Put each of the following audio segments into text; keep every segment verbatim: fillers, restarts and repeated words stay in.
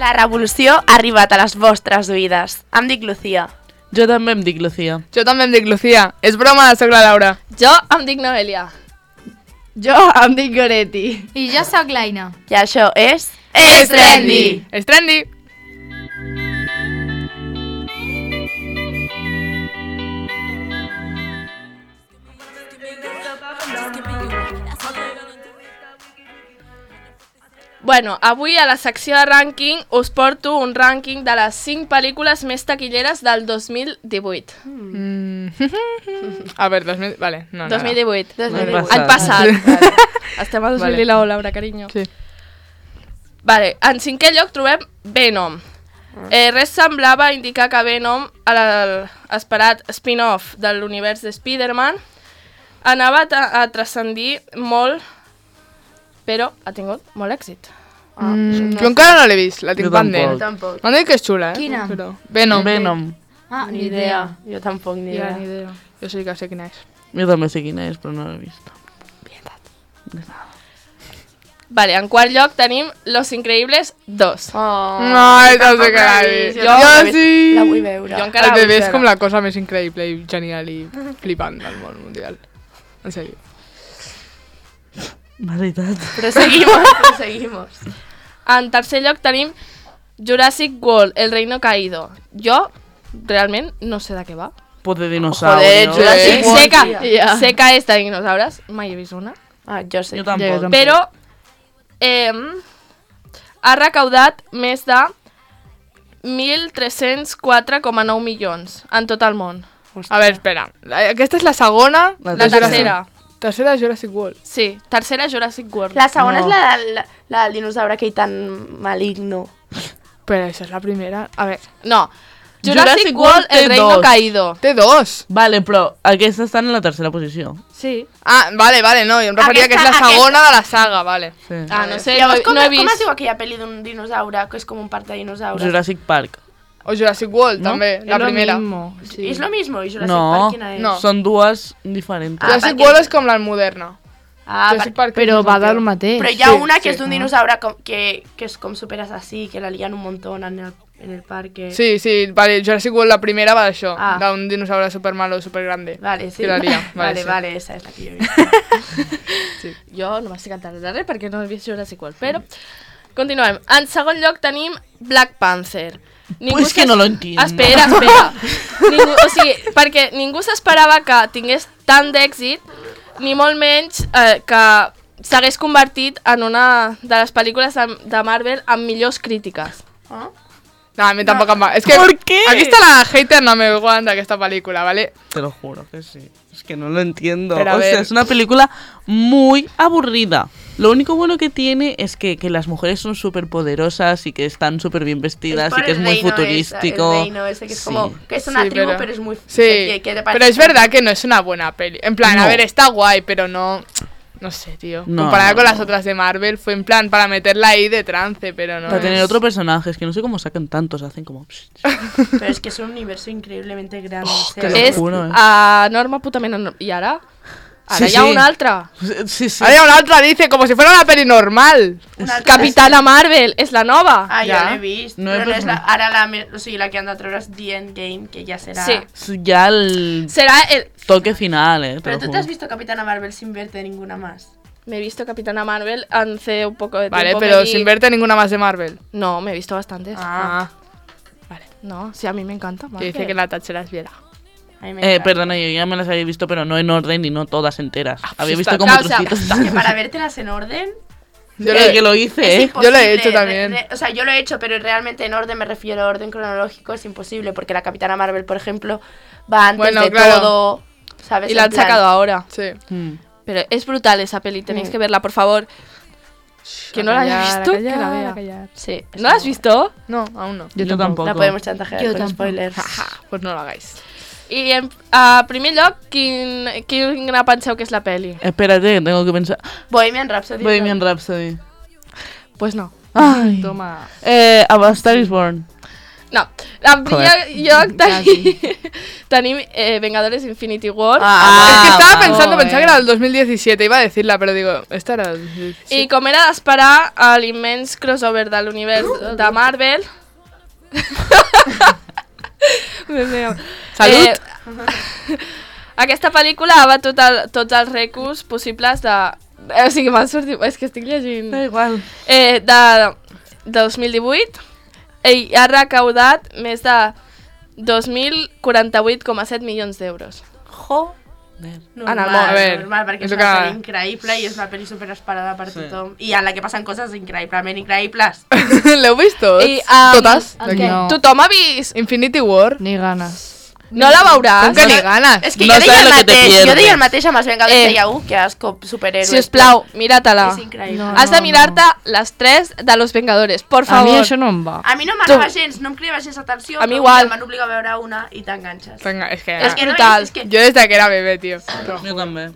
La revolució ha arribat a les vostres oïdes. Em dic Lucía. Jo també em dic Lucía. Jo també em dic Lucía. És broma, soc la Laura. Jo em dic Noelia. Jo em dic Goretti. I jo sóc l'Aina. I això és... És trendy! És trendy! Bueno, avui a la secció de rànquing us porto un rànquing de les cinc pel·lícules més taquilleres del dos mil divuit. Mm. A veure, dos mil... Vale, no, no. dos mil divuit. dos mil divuit. Any passat. Vale. Estem a dos mil dinou, Laura, carinyo. Sí. Vale, en cinquè lloc trobem Venom. Eh, res semblava indicar que Venom, l'esperat spin-off de l'univers de Spider-Man, anava a, a transcendir molt, però ha tingut molt èxit. Ah, mm, no jo encara no l'he vist, la tinc pendent. Tampoc. M'han dit que és xula, eh? Quina? Però... Venom. Venom. Ah, ni idea. Jo tampoc ni idea. Ja, ni idea. Jo sí que sé quina és. Jo també sé quina és, però no l'he vist. Vale, en quart lloc tenim Los Increíbles dos. Oh, No, no sé què l'he vist. Jo, Jo sí. La vull veure. Jo encara El la vull bebè és veure. com la cosa més increïble i genial i flipant del món mundial. En sèrio. Veritat. Proseguimos, proseguimos. En tercer lloc tenim Jurassic World, El Reino Caído. Jo, realment, no sé de què va. Pot de dinosaurio. Joder, Jurassic Eh? World. Sé que, Ja. sé que és de dinosaures, mai he vist una. Ah, jo sé. Jo tampoc. Però eh, ha recaudat més de mil tres-cents quatre coma nou milions en tot el món. A veure, espera. Aquesta és la segona. La La de Jurassic- tercera. Tercera de Jurassic World. Sí, tercera Jurassic World. La segona No. és la, la, la del dinosaure aquell tan maligno. Però això és la primera. A veure, No, Jurassic, Jurassic World, World té El Reino dos. Caído. té dos. Vale, però aquesta està en la tercera posició. Sí. Ah, vale, vale, no, jo em referia que és la Aquesta- segona de la saga, vale. Sí. Ah, no sé, no, Llavors, com, no he com es vist. diu aquella pel·li d'un dinosaure que és com un parc de dinosaures? Jurassic Park. O Jurassic World, No? també, la Es lo primera. mismo, sí. És lo mismo? I Jurassic No, Park quina és? no. Són dues diferents. Ah, Jurassic perquè- World és com la moderna. Ah, Jurassic per... Park és Però més va antiga. del mateix. Però hi ha Sí, una que sí. és d'un dinosaure com, que, que és com super assassí, que la lien un montón en el, en el parque. Sí, sí, vale, Jurassic World la primera va d'això, Ah. d'un dinosaure super malo, super grande. Vale, sí. Que la lia, vale, Vale, sí. vale, esa és la que jo he vist. Jo no m'estic enterant de res perquè no he vist Jurassic World, però continuem. En segon lloc tenim Black Panther. Pues que s'es- no lo entiendo. Espera, espera. ningú, o sigui, perquè ningú s'esperava que tingués tant d'èxit, ni molt menys eh, que s'hagués convertit en una de les pel·lícules de, de Marvel amb millors crítiques. Ah? No, a mi tampoc em va... És que ¿Por qué? aquí està la hater no me aguanta aquesta pel·lícula, ¿vale? Te lo juro que sí. Es que no lo entiendo. Pero a o sea, ver. es una película muy aburrida. Lo único bueno que tiene es que, que las mujeres son súper poderosas y que están súper bien vestidas por y que es el muy reino futurístico. Esa, el reino ese que es Sí. como que es una Sí, tribu, pero- pero, es muy Sí, que- que te parece- pero es verdad que no es una buena peli. En plan, a No. ver, está guay, pero no... No sé, tío. No, Comparada no, con no. las otras de Marvel, fue en plan para meterla ahí de trance, pero no Para es- tener otro personaje, es que no sé cómo sacan tantos, hacen como... pero es que es un universo increíblemente grande. o sea, te lo És juro, eh. a norma putament... enor- I ara? Ara Sí, hi ha sí. una altra. Sí, sí. Ahora una otra dice, como si fuera una peli normal. una altra- Capitana Marvel, és la nova. Ah, Ja. jo l'he vist, No no he però no és vist. la, ara la, me- o sigui, la que han de treure és The Endgame, que ja serà... Sí. Ya el Serà el... toque final, eh. te Pero lo tú te juro. has visto Capitana Marvel sin verte ninguna más. Me he visto Capitana Marvel hace un poco de Vale, tiempo. pero me vi- sin verte ninguna más de Marvel. No, me he visto bastantes. Ah, No, sí, a mí me encanta. que Marvel. dice que la Thatcher es viera. A mí me Eh, encanta. perdona, yo ya me las había visto, pero no en orden y no todas enteras. Había está- visto como claro, o sea, trocitos. Es que para vértelas en orden... Yo Eh, lo- que lo hice, es eh. imposible. Yo lo he hecho Re- también. re- o sea, yo lo he hecho, pero realmente en orden me refiero a orden cronológico, es imposible, porque la Capitana Marvel, por ejemplo, va antes Bueno, de claro. todo, ¿sabes? Y la En han plan- sacado ahora. Sí. Mm. Pero es brutal esa peli, tenéis Mm. que verla, por favor. Que no la haya callar, visto, a callar, que la a vea. callar. Sí. ¿No la has visto? No, aún no. Yo, tampoco. La podemos chantajear Yo con tampoco. spoilers. Pues no lo hagáis. I en a primer lloc, quin, quina penseu que és la peli? Espérate, que tengo que pensar. Bohemian Rhapsody. Bohemian Rhapsody. Pues no. Ay. Toma. Eh, A Star is Born. No, en primer lloc tenim, tenim eh, Vengadores Infinity War. Ah, es que estaba vale. pensando, pensaba que era el dos mil diecisiete, iba a decirla, pero digo, esta era el dos mil diecisiete. I com era d'esperar, a l'immens crossover de l'univers de Marvel... Salut! Eh, aquesta pel·lícula ha batut el, tots els rècords possibles de... O sigui, m'ha sortit... És que estic llegint... Da igual. Eh, de, de dos mil divuit i ha recaudat més de dos mil quaranta-vuit coma set milions d'euros. Joder. En el món. Normal, A ver, normal, perquè és és que- una pel·li increïble i és una pel·li superesperada per Sí. tothom. I en la que passen coses increïblement increïbles. L'heu vist tots? I, um, Totes? el D'aquí. què? No, Tothom ha vist... Infinity War. Ni ganes. No la veuràs? Com que ni ganes? És que No jo deia sabe el lo que te mateix, jo pierdes. deia el mateix amb els Vengadors, Eh. deia, uh, que asco, superhéroes. Si us plau, mira-te-la. És increïble. No. Has de mirar-te les tres de Los Vengadores, por A favor. mi això no em va. A mi no m'anava gens, no em cridava gens atenció, A mi però igual. em van obligar a veure una i t'enganxes. Venga, es que... És que no, brutal. és que- Yo desde que era bebé, tío. Yo también.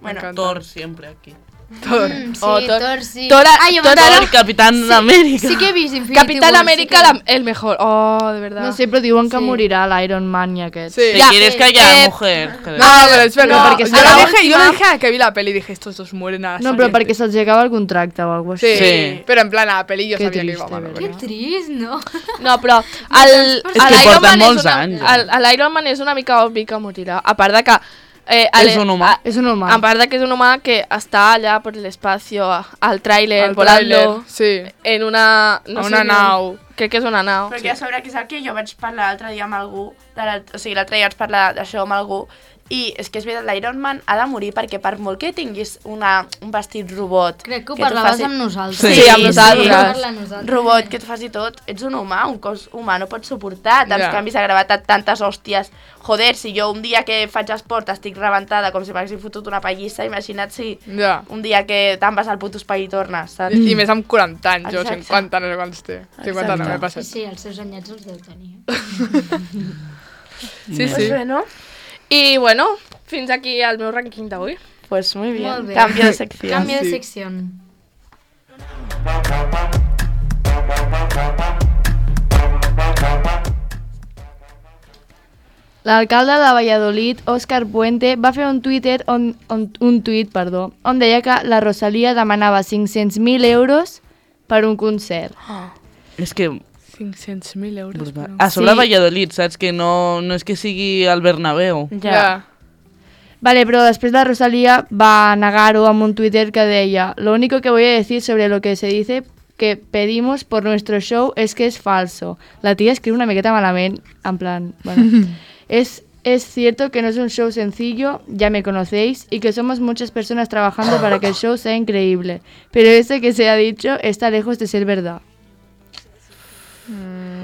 Bueno, encanta. Thor siempre aquí. Thor. Mm, sí, Oh, Thor- Thor, sí. Thor- ah, jo Thor pensava- Thor, Capitán sí, América. Sí que he vist Infinity Capitán War, América, sí que- la- el mejor. Oh, de verdad. No sé, però diuen que Sí. morirà l'Iron Man i aquest. Sí. ¿Te Ya, quieres eh, callar, eh, mujer? No, pero es verdad. No, porque yo, a lo la dije, yo última- lo dije a que vi la peli y dije, estos dos mueren a la No, però siguiente. perquè se'ls acaba el contracte o alguna cosa Sí, així. Sí. pero en plan, a la peli yo Qué sabía que triste, iba mal. ¿verdad? ¿verdad? trist, no? No, però el, És que l'Iron porten Man és molts una, anys, el- eh? l'Iron Man és una mica obvi que morirà. A part de que... Eh, És un humà. a- És un humà. A part de que és un humà que està allà per l'espacio, al tràiler, Al volando, tráiler, sí. en una... A una ni- nau. Crec que és una nau. perquè a sobre que és el que jo vaig parlar l'altre dia amb algú, de la, o sigui, l'altre dia vaig parlar d'això amb algú, i és que és veritat, l'Iron Man ha de morir perquè per molt que tinguis una, un vestit robot... Crec que ho tu parlaves faci- amb nosaltres. Sí, Sí, amb nosaltres. Vam parlar amb nosaltres. Robot que et faci tot, ets un humà, un cos humà, no pots suportar tants Ja. canvis de gravetat, tantes hòsties. Joder, si jo un dia que faig esport estic rebentada com si m'haguessin fotut una pallissa, imagina't si Ja. un dia que te'n vas al puto espai i tornes, saps? I, I més amb quaranta anys, jo, Exacte. cinquanta, no sé quants té. cinquanta no, m'he Sí, passat. sí, els seus anyets els deu tenir. Sí, Pues sí. bé, no? I bueno, fins aquí el meu rànquing d'avui. Pues muy bien. Molt bé. Cambio de sección. Canvi de Sí. secció. L'alcalde de Valladolid, Òscar Puente, va fer un Twitter on, on, un tuit, perdó, on deia que la Rosalia demanava cinc-cents mil euros per un concert. És que... cinc-cents mil euros. brutal. però- A sobre Sí. Valladolid, saps? Que no, no és que sigui al Bernabéu. Ja. Vale, pero después la Rosalía va a negar-ho amb un Twitter que deia: lo único que voy a decir sobre lo que se dice que pedimos por nuestro show es que es falso. La tía escribe una miqueta malament, en plan, bueno, es, es cierto que no es un show sencillo, ya me conocéis, y que somos muchas personas trabajando para que el show sea increíble, pero esto que se ha dicho está lejos de ser verdad.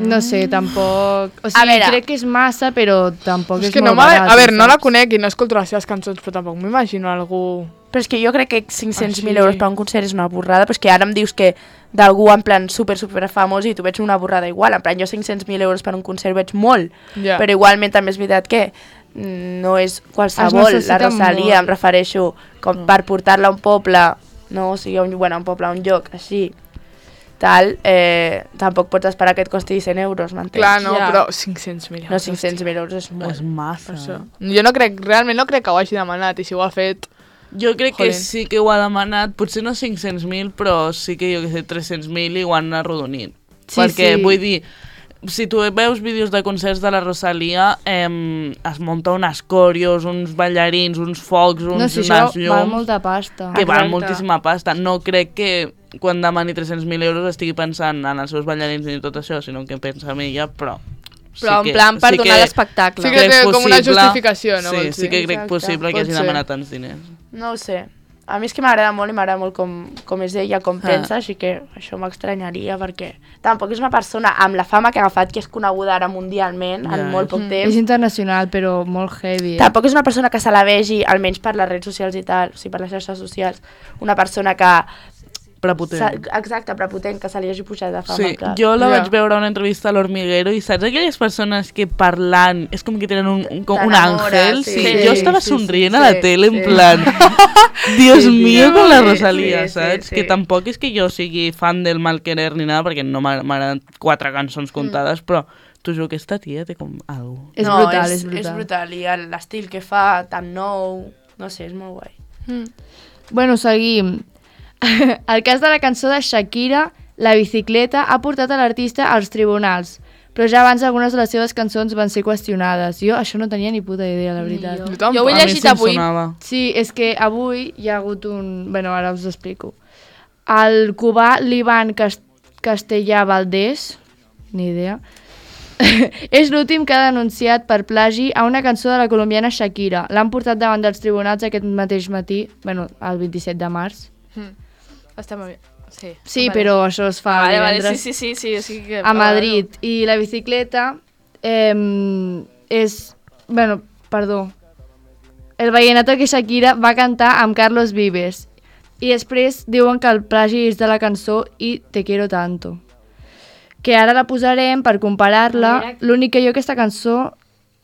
No sé, tampoc... O sigui, veure. crec que és massa, però tampoc És és, que no molt m'ha- barat. a veure, no la saps? conec i no escolto les seves cançons, però tampoc m'imagino algú... Però és que jo crec que cinc-cents mil Ah, sí. euros per un concert és una borrada, però és que ara em dius que d'algú en plan super, super famós i tu veig una borrada igual. En plan, jo cinc-cents mil euros per un concert veig molt, Ja. però igualment també és veritat que mm, no és qualsevol, Es la necessita Rosalia, molt. em refereixo, com per portar-la a un poble, no? O sigui, a un, bueno, a un poble, a un lloc, així, tal, eh, tampoc pots esperar que et costi cent euros, m'entens? Clar, no, Ja. però cinc-cents mil euros. No, cinc-cents mil euros és molt. És massa. Per això. Jo no crec, realment no crec que ho hagi demanat, i si ho ha fet... Jo crec Jolín. que sí que ho ha demanat, potser no cinc-cents mil, però sí que jo que sé, tres-cents mil i ho han arrodonit. Sí, Perquè, sí. vull dir, si tu veus vídeos de concerts de la Rosalia, eh, es munta unes còrios, uns ballarins, uns focs, uns No, si unes això val llums, molta pasta. que val Exacte. moltíssima pasta. No crec que quan demani tres-cents mil euros estigui pensant en els seus ballarins ni tot això, sinó que pensa en ella, però... Però sí en plan per sí donar que- l'espectacle. Sí que crec té com una possible- justificació, no? Sí, vols sí dir? que crec Exacte. possible que Pot hagi ser. demanat tants diners. No ho sé. A mi és que m'agrada molt i m'agrada molt com, com és ella, com Ah. pensa, així que això m'estranyaria perquè tampoc és una persona amb la fama que ha agafat, que és coneguda ara mundialment Ja. en molt poc És temps. internacional, però molt heavy. Eh? Tampoc és una persona que se la vegi, almenys per les redes socials i tal, o sigui, per les xarxes socials, una persona que prepotent. Exacte, prepotent, que se li hagi pujat de fama. Sí, clar. jo la Ja. vaig veure a una entrevista a l'Hormiguero i saps aquelles persones que parlant és com que tenen un, un, com un T'enamores, àngel? sí. Sí, Sí, jo estava sí, somrient sí, a la sí, tele en sí. plan Dios mío con la Sí, Rosalía, sí, sí, saps? sí. Que tampoc és que jo sigui fan del Malquerer ni nada perquè no m'ha- m'agraden quatre cançons comptades, però t'ho juro que esta tia té com algo. És no, brutal, és, és brutal. És brutal, i el- l'estil que fa, tan nou, no sé, és molt guai. Bueno, seguim. El cas de la cançó de Shakira, La bicicleta, ha portat a l'artista als tribunals, però ja abans algunes de les seves cançons van ser qüestionades. Jo això no tenia ni puta idea, la veritat. Jo Jo ho he tampoc. A mi llegit sí em avui. sonava. Sí, és que avui hi ha hagut un... Bueno, ara us ho explico. El cubà Liban Cas- Castellà Valdés, ni idea, és l'últim que ha denunciat per plagi a una cançó de la colombiana Shakira. L'han portat davant dels tribunals aquest mateix matí, bueno, el vint-i-set de març. Està molt bé. Sí, Sí, vale. però això es fa Vale, vale, divendres sí, sí, sí, sí, o sigui que... a Madrid. I la bicicleta eh, és... Bueno, perdó. El vallenato que Shakira va cantar amb Carlos Vives. I després diuen que el plagi és de la cançó i Te quiero tanto. Que ara la posarem per comparar-la. L'únic que jo aquesta cançó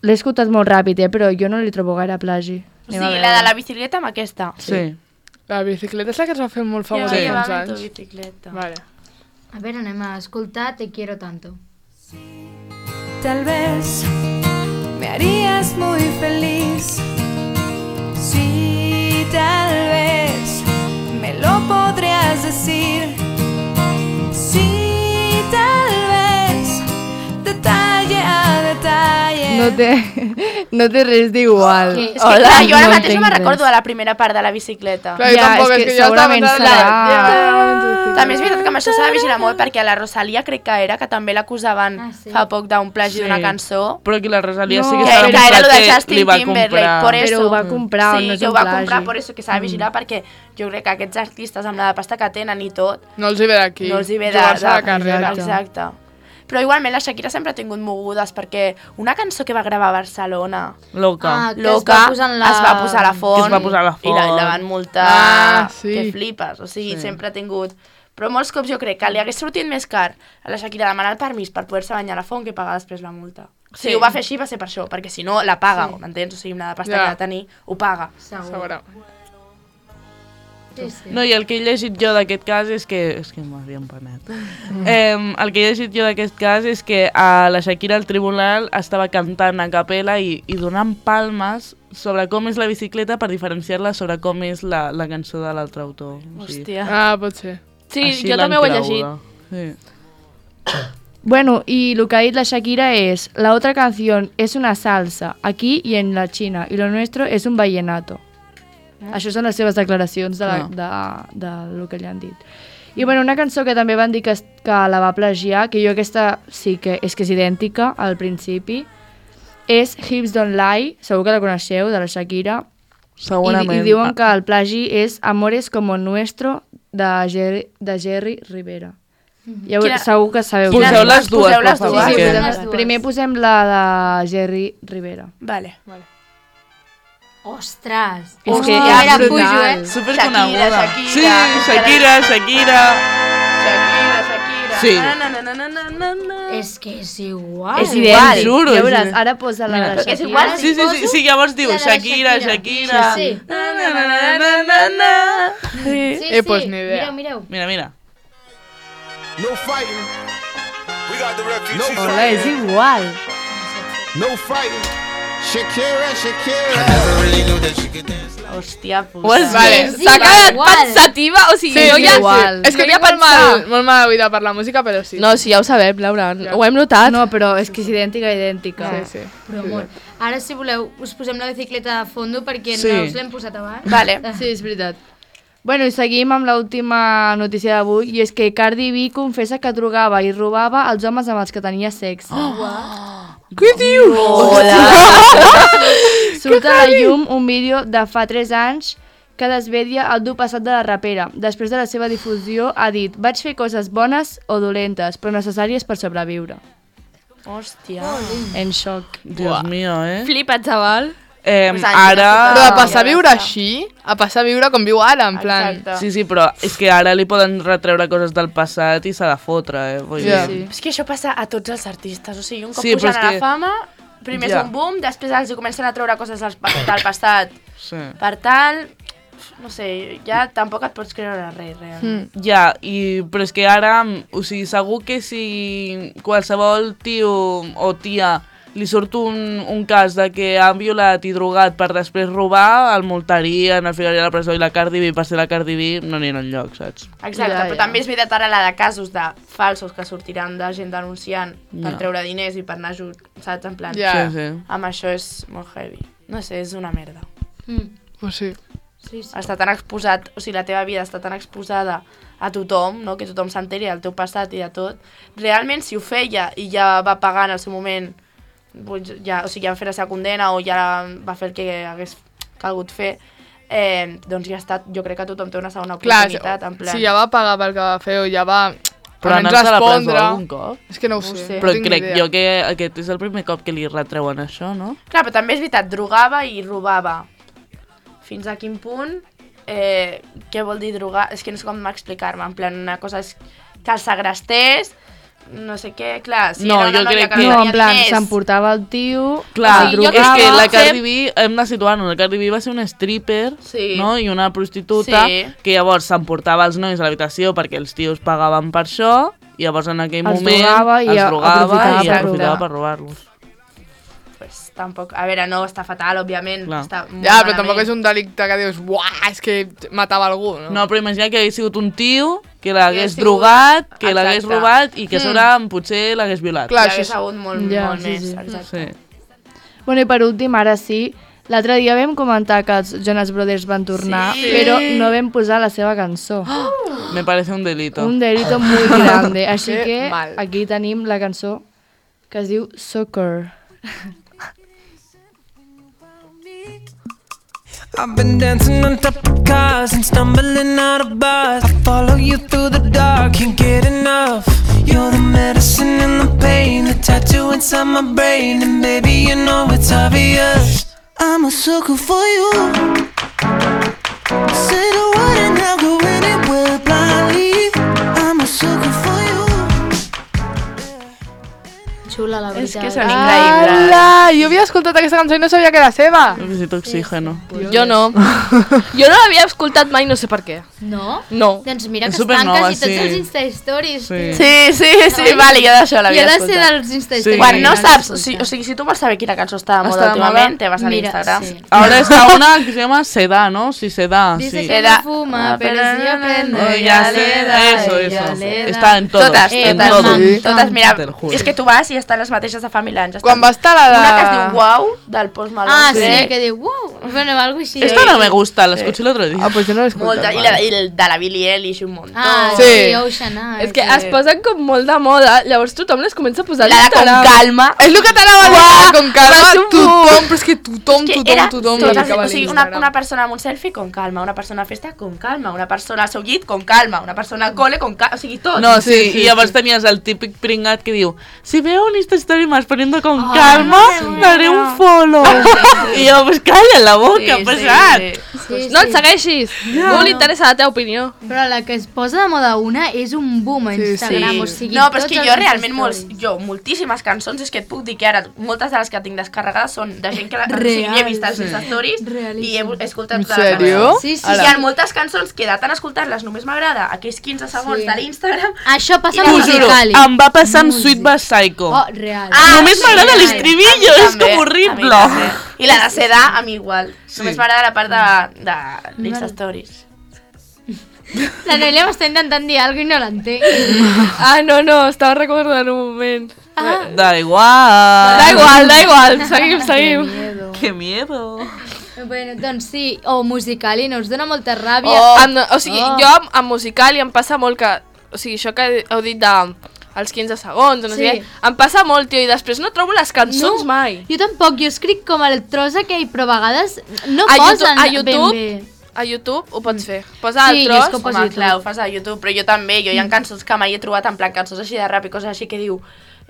l'he escoltat molt ràpid, eh, però jo no li trobo gaire plagi. O sigui, la de la bicicleta amb aquesta. Sí. La bicicleta és la que es va fer molt Ja famosa va fa uns llevar tu anys. bicicleta. Vale. A ver, anem a escoltar Te quiero tanto. Tal vez me harías muy feliz. Sí, tal vez me lo podrías decir. Sí, tal vez detalle a detalle. No té, no té res d'igual. Que- És que clar, jo ara no mateix no entenc me'n res. recordo de la primera part de la bicicleta. Clar, jo Ja, tampoc, és és que que jo estava segurament pensant... serà- Ja, També és veritat que amb això s'ha de vigilar molt perquè a la Rosalia crec que era que també l'acusaven Ah, sí? fa poc d'un plagi Sí. d'una cançó. Però que la Rosalia No, sí que Que, s'ha que era el demostrat de que Justin li va Timberlake, comprar. por eso. Però ho va comprar, sí, no és que ho un va plagi. comprar, per això que s'ha de vigilar, perquè jo crec que aquests artistes amb la pasta que tenen i tot, No els hi ve d'aquí. no els hi ve de, Jugar-se de, la carrera. Exacte. Exacte. Però igualment la Shakira sempre ha tingut mogudes, perquè una cançó que va gravar a Barcelona, Loca. Ah, que Loca, es va posar en la... es va posar a la font, Que es va posar a la i la, font. la van multar, Ah, sí. que flipes, o sigui, Sí. sempre ha tingut... Però molts cops jo crec que li hagués sortit més car a la Shakira demanar el permís per poder-se banyar a la font que pagar després la multa. O sigui, Sí. ho va fer així, va ser per això, perquè si no la paga, sí. m'entens? O sigui, amb la pasta Ja. que ha de tenir, ho paga. Segur. Segura. Sí, sí. No, i el que he llegit jo d'aquest cas és que... És que m'havia empanat. Eh, el que he llegit jo d'aquest cas és que a la Shakira al tribunal estava cantant a capella i, i donant palmes sobre com és la bicicleta per diferenciar-la sobre com és la, la cançó de l'altre autor. O sigui, Hòstia. Ah, pot ser. Sí, així jo l'han també ho he creguda. llegit. Sí. Bueno, y lo que ha dicho la Shakira es, la otra canción es una salsa, aquí y en la China, y lo nuestro es un vallenato. Això són les seves declaracions de, la, No. de, de lo que li han dit. I bueno, una cançó que també van dir que, es- que la va plagiar, que jo aquesta sí que és que és idèntica al principi, és Hips Don't Lie, segur que la coneixeu, de la Shakira, i, Segurament. i diuen que el plagi és Amores como nuestro de Jerry, de Jerry Rivera. Ja, Quina- segur que sabeu. Poseu quina és. les dues, Poseu per les favor. dues. Sí, sí, que- posem les posem, dues. primer posem la de Jerry Rivera. Vale. Ostres. És que a és veure, brutal. pujo, eh? Superconeguda. Shakira, Shakira. Sí, Shakira, Shakira. Shakira, Shakira. Sí. Na, na, na, na, na, na, na. És que és igual. És igual. idèntic. Juro, Ja és veuràs, idèntic. ara posa la Mira. de Perquè és Shakira. igual. Sí, sí, sí, sí, llavors diu La de la Shakira, Shakira. Shakira. Sí, sí. Na, na, na, na, na, na, na. Sí, Eh, pues sí. ni idea. Mireu, mireu. Mira, mira. No fighting. We got the refugees. Hola, és igual. No fighting. Shakira, Shakira. I never really knew that she could dance. Hòstia puta. Ho has Vale, Sí, s'ha sí, quedat igual. pensativa, o sigui, Sí, jo sí, ja... igual. És que Jo tinc havia molt mal, pensat. molt mal oïda per la música, però sí. No, sí, ja ho sabem, Laura. Ja. Ho hem notat. No, però és que és idèntica, idèntica. Sí, sí. Però molt. Ara, si voleu, us posem la bicicleta de fondo perquè Sí. no us l'hem posat abans. Vale. Sí, és veritat. Bueno, i seguim amb l'última notícia d'avui, i és que Cardi B confessa que drogava i robava els homes amb els que tenia sexe. Què dius? Surt a la llum un vídeo de fa tres anys que desvedia el dur passat de la rapera. Després de la seva difusió ha dit: vaig fer coses bones o dolentes, però necessàries per sobreviure. Hòstia. En xoc. Dios mío, eh? Flipa, xaval. Eh, Uns anys, ara... Però de Ah, passar a ja viure està. així, a passar a viure com viu ara, en plan... Exacte. Sí, sí, però és que ara li poden retreure coses del passat i s'ha de fotre, eh? Vull Ja. dir... És que això passa a tots els artistes, o sigui, un cop Sí, però pugen és a la que- fama, primer Ja. és un boom, després els comencen a treure coses del, pa- del passat. Sí. Per tal, no sé, ja tampoc et pots creure res, realment. Mm. Ja, i, però és que ara, o sigui, segur que si qualsevol tio o tia li surt un, un cas de que han violat i drogat per després robar, el multarien, el ficarien a la presó i la Cardi B, per ser la Cardi B, no anirà enlloc, saps? Exacte, Ja, però ja. també és veritat ara la de casos de falsos que sortiran de gent denunciant per Ja. treure diners i per anar ajut, saps? En plan, Ja. Sí, sí. amb això és molt heavy. No sé, és una merda. Mm. Pues sí. Sí, sí. Està tan exposat, o sigui, la teva vida està tan exposada a tothom, no? Que tothom s'enteri del teu passat i de tot. Realment, si ho feia i ja va pagar en el seu moment, doncs ja, o sigui, ja va fer la seva condena o ja va fer el que hagués calgut fer, eh, doncs ja està, jo crec que tothom té una segona Clar, oportunitat, en plan... si ja va pagar pel que va fer o ja va... Però almenys anar-se a la presó respondre. algun cop? És que no ho No ho sé. sé. no Però tinc ni crec idea. jo que aquest és el primer cop que li retreuen això, no? Clar, però també és veritat, drogava i robava. Fins a quin punt? Eh, què vol dir drogar? És que no sé com explicar-me. En plan, una cosa és que el segrestés, no sé què, clar, si No, era una jo noia crec que que- no No, tenia en plan, diners, s'emportava el tio, Clar, O sigui, jo és crec que que la fer- Cardi B, hem de situar-nos, la Cardi B va ser una stripper, Sí. no? I una prostituta, Sí. que llavors s'emportava els nois a l'habitació perquè els tios pagaven per això, i llavors en aquell Els moment drogava i els a- drogava aprofitava i per aprofitava robar. per robar-los. pues, tampoc... A veure, no, està fatal, òbviament. Clar. Està molt Ja, però tampoc malament. és un delicte que dius, uah, és que matava algú, no? No, però imagina que hagués sigut un tio que l'hagués sigut- drogat, que l'hagués Exacte. robat i que a Mm. sobre potser l'hagués violat. Clar, Hi hagués això és- hagut molt, Ja, molt sí, més, sí. exacte. Sí. Bueno, i per últim, ara sí, l'altre dia vam comentar que els Jonas Brothers van tornar, Sí. però no vam posar la seva cançó. Me parece un delito. Un delito muy grande. Així Que que mal. aquí tenim la cançó que es diu Soccer. I've been dancing on top of cars and stumbling out of bars. I follow you through the dark, can't get enough. You're the medicine and the pain, the tattoo inside my brain. And baby, you know it's obvious, I'm a sucker for you. Say the word and I'll go anywhere blindly. I'm a sucker for you. Xula, la És veritat. que són increïbles. Ala, jo havia escoltat aquesta cançó i no sabia que era seva. Necessito oxígeno. Jo no. Jo no l'havia escoltat mai, no sé per què. No? No. Doncs mira És que es supernova, tanques i tots sí. els Insta-Stories. Sí. tio. Sí, sí, sí, vale, jo d'això I l'havia ha de ser escoltat. dels Insta-Stories. Quan no l'he saps, o escoltat. sigui, o sigui, si tu vols saber quina cançó està de moda Està de moda? últimament, te vas a Mira, l'Instagram. sí. Ahora está una que se llama Seda, ¿no? Sí, Seda, Dice sí. que Era- no fuma, pero si aprende, Oh, ya ya le sé, da, eso, ella eso. le da. Está en todo. Totes, Eh, en totes, todo. sí. totes, mira, Te lo juro. és que tu vas i estan les mateixes de fa mil anys. Quan va estar la de... Una que es diu Wow, del Post Malone. Ah, sí, crec. que diu, wow, bueno, algo així. Esta no me gusta, la escuché el otro día. Ah, pues jo no l'he escoltat Molta, i, mai. la, i el de la Billie Eilish un muntó. Ah, Sí. sí, Ocean Eyes. És que es posen com molt de moda, llavors tothom les comença a posar a la de con l'Instagram. calma. És el que t'anava a dir, con calma, va ser un tothom, però és que tothom, Que tothom, era tothom totes, la ficava o a sigui, una, l'Instagram. una persona amb un selfie con calma, una persona a festa con calma, una persona al seu llit con calma, una persona al cole con calma, o sigui, tot. No, sí, Sí, sí, y llavors tenies el típic pringat que diu si veo un Insta Story más poniendo con Ah, calma, daré un follow. I jo, pues calla la boca, Sí, ha sí, passat. sí. Sí, No et sí. segueixis, no li interessa la teva opinió. Però la que es posa de moda una és un boom a Sí, Instagram, sí. o sigui, No, però és tots que els jo realment, molts, Insta-stories. jo, moltíssimes cançons, és que et puc dir que ara, moltes de les que tinc descarregades són de gent que la, o sigui, Real. he vist els Insta Stories Realíssim. i he, he escoltat En totes les sèrio? cançons. Sí, sí, I sí. hi ha moltes cançons que de tant escoltar-les només m'agrada aquells quinze segons Sí. de l'Instagram. Això passa I amb la- T'ho juro, Musicali. em va passar amb Sweet But Psycho. Oh, real. Ah, Només sí, m'agrada a mi l'estribillo, és també, com a mi horrible. també. I la de Seda, a mi igual. Només m'agrada la part de, de l'Insta Stories. La Noelia m'està intentant dir alguna cosa i no l'entenc. Ah, no, no, estava recordant un moment. Ah, Da igual. Da igual, da igual, seguim, seguim. miedo. Qué miedo. Bueno, doncs sí, o Musicali, no us dona molta ràbia. Oh, amb, o sigui, Oh. jo amb, amb musical i em passa molt que... O sigui, això que heu dit de... Els quinze segons, o no Sí. sé què, em passa molt, tio, i després no trobo les cançons mai. Jo tampoc, jo escric com el tros aquell, però a vegades no A posen YouTube- a ben YouTube? bé. A YouTube ho pots fer. Posa Sí, el jo és tros. que ho poso Home, a YouTube. clar, ho fas a YouTube, però jo també, jo hi ha cançons que mai he trobat en plan cançons així de rap i coses així que diu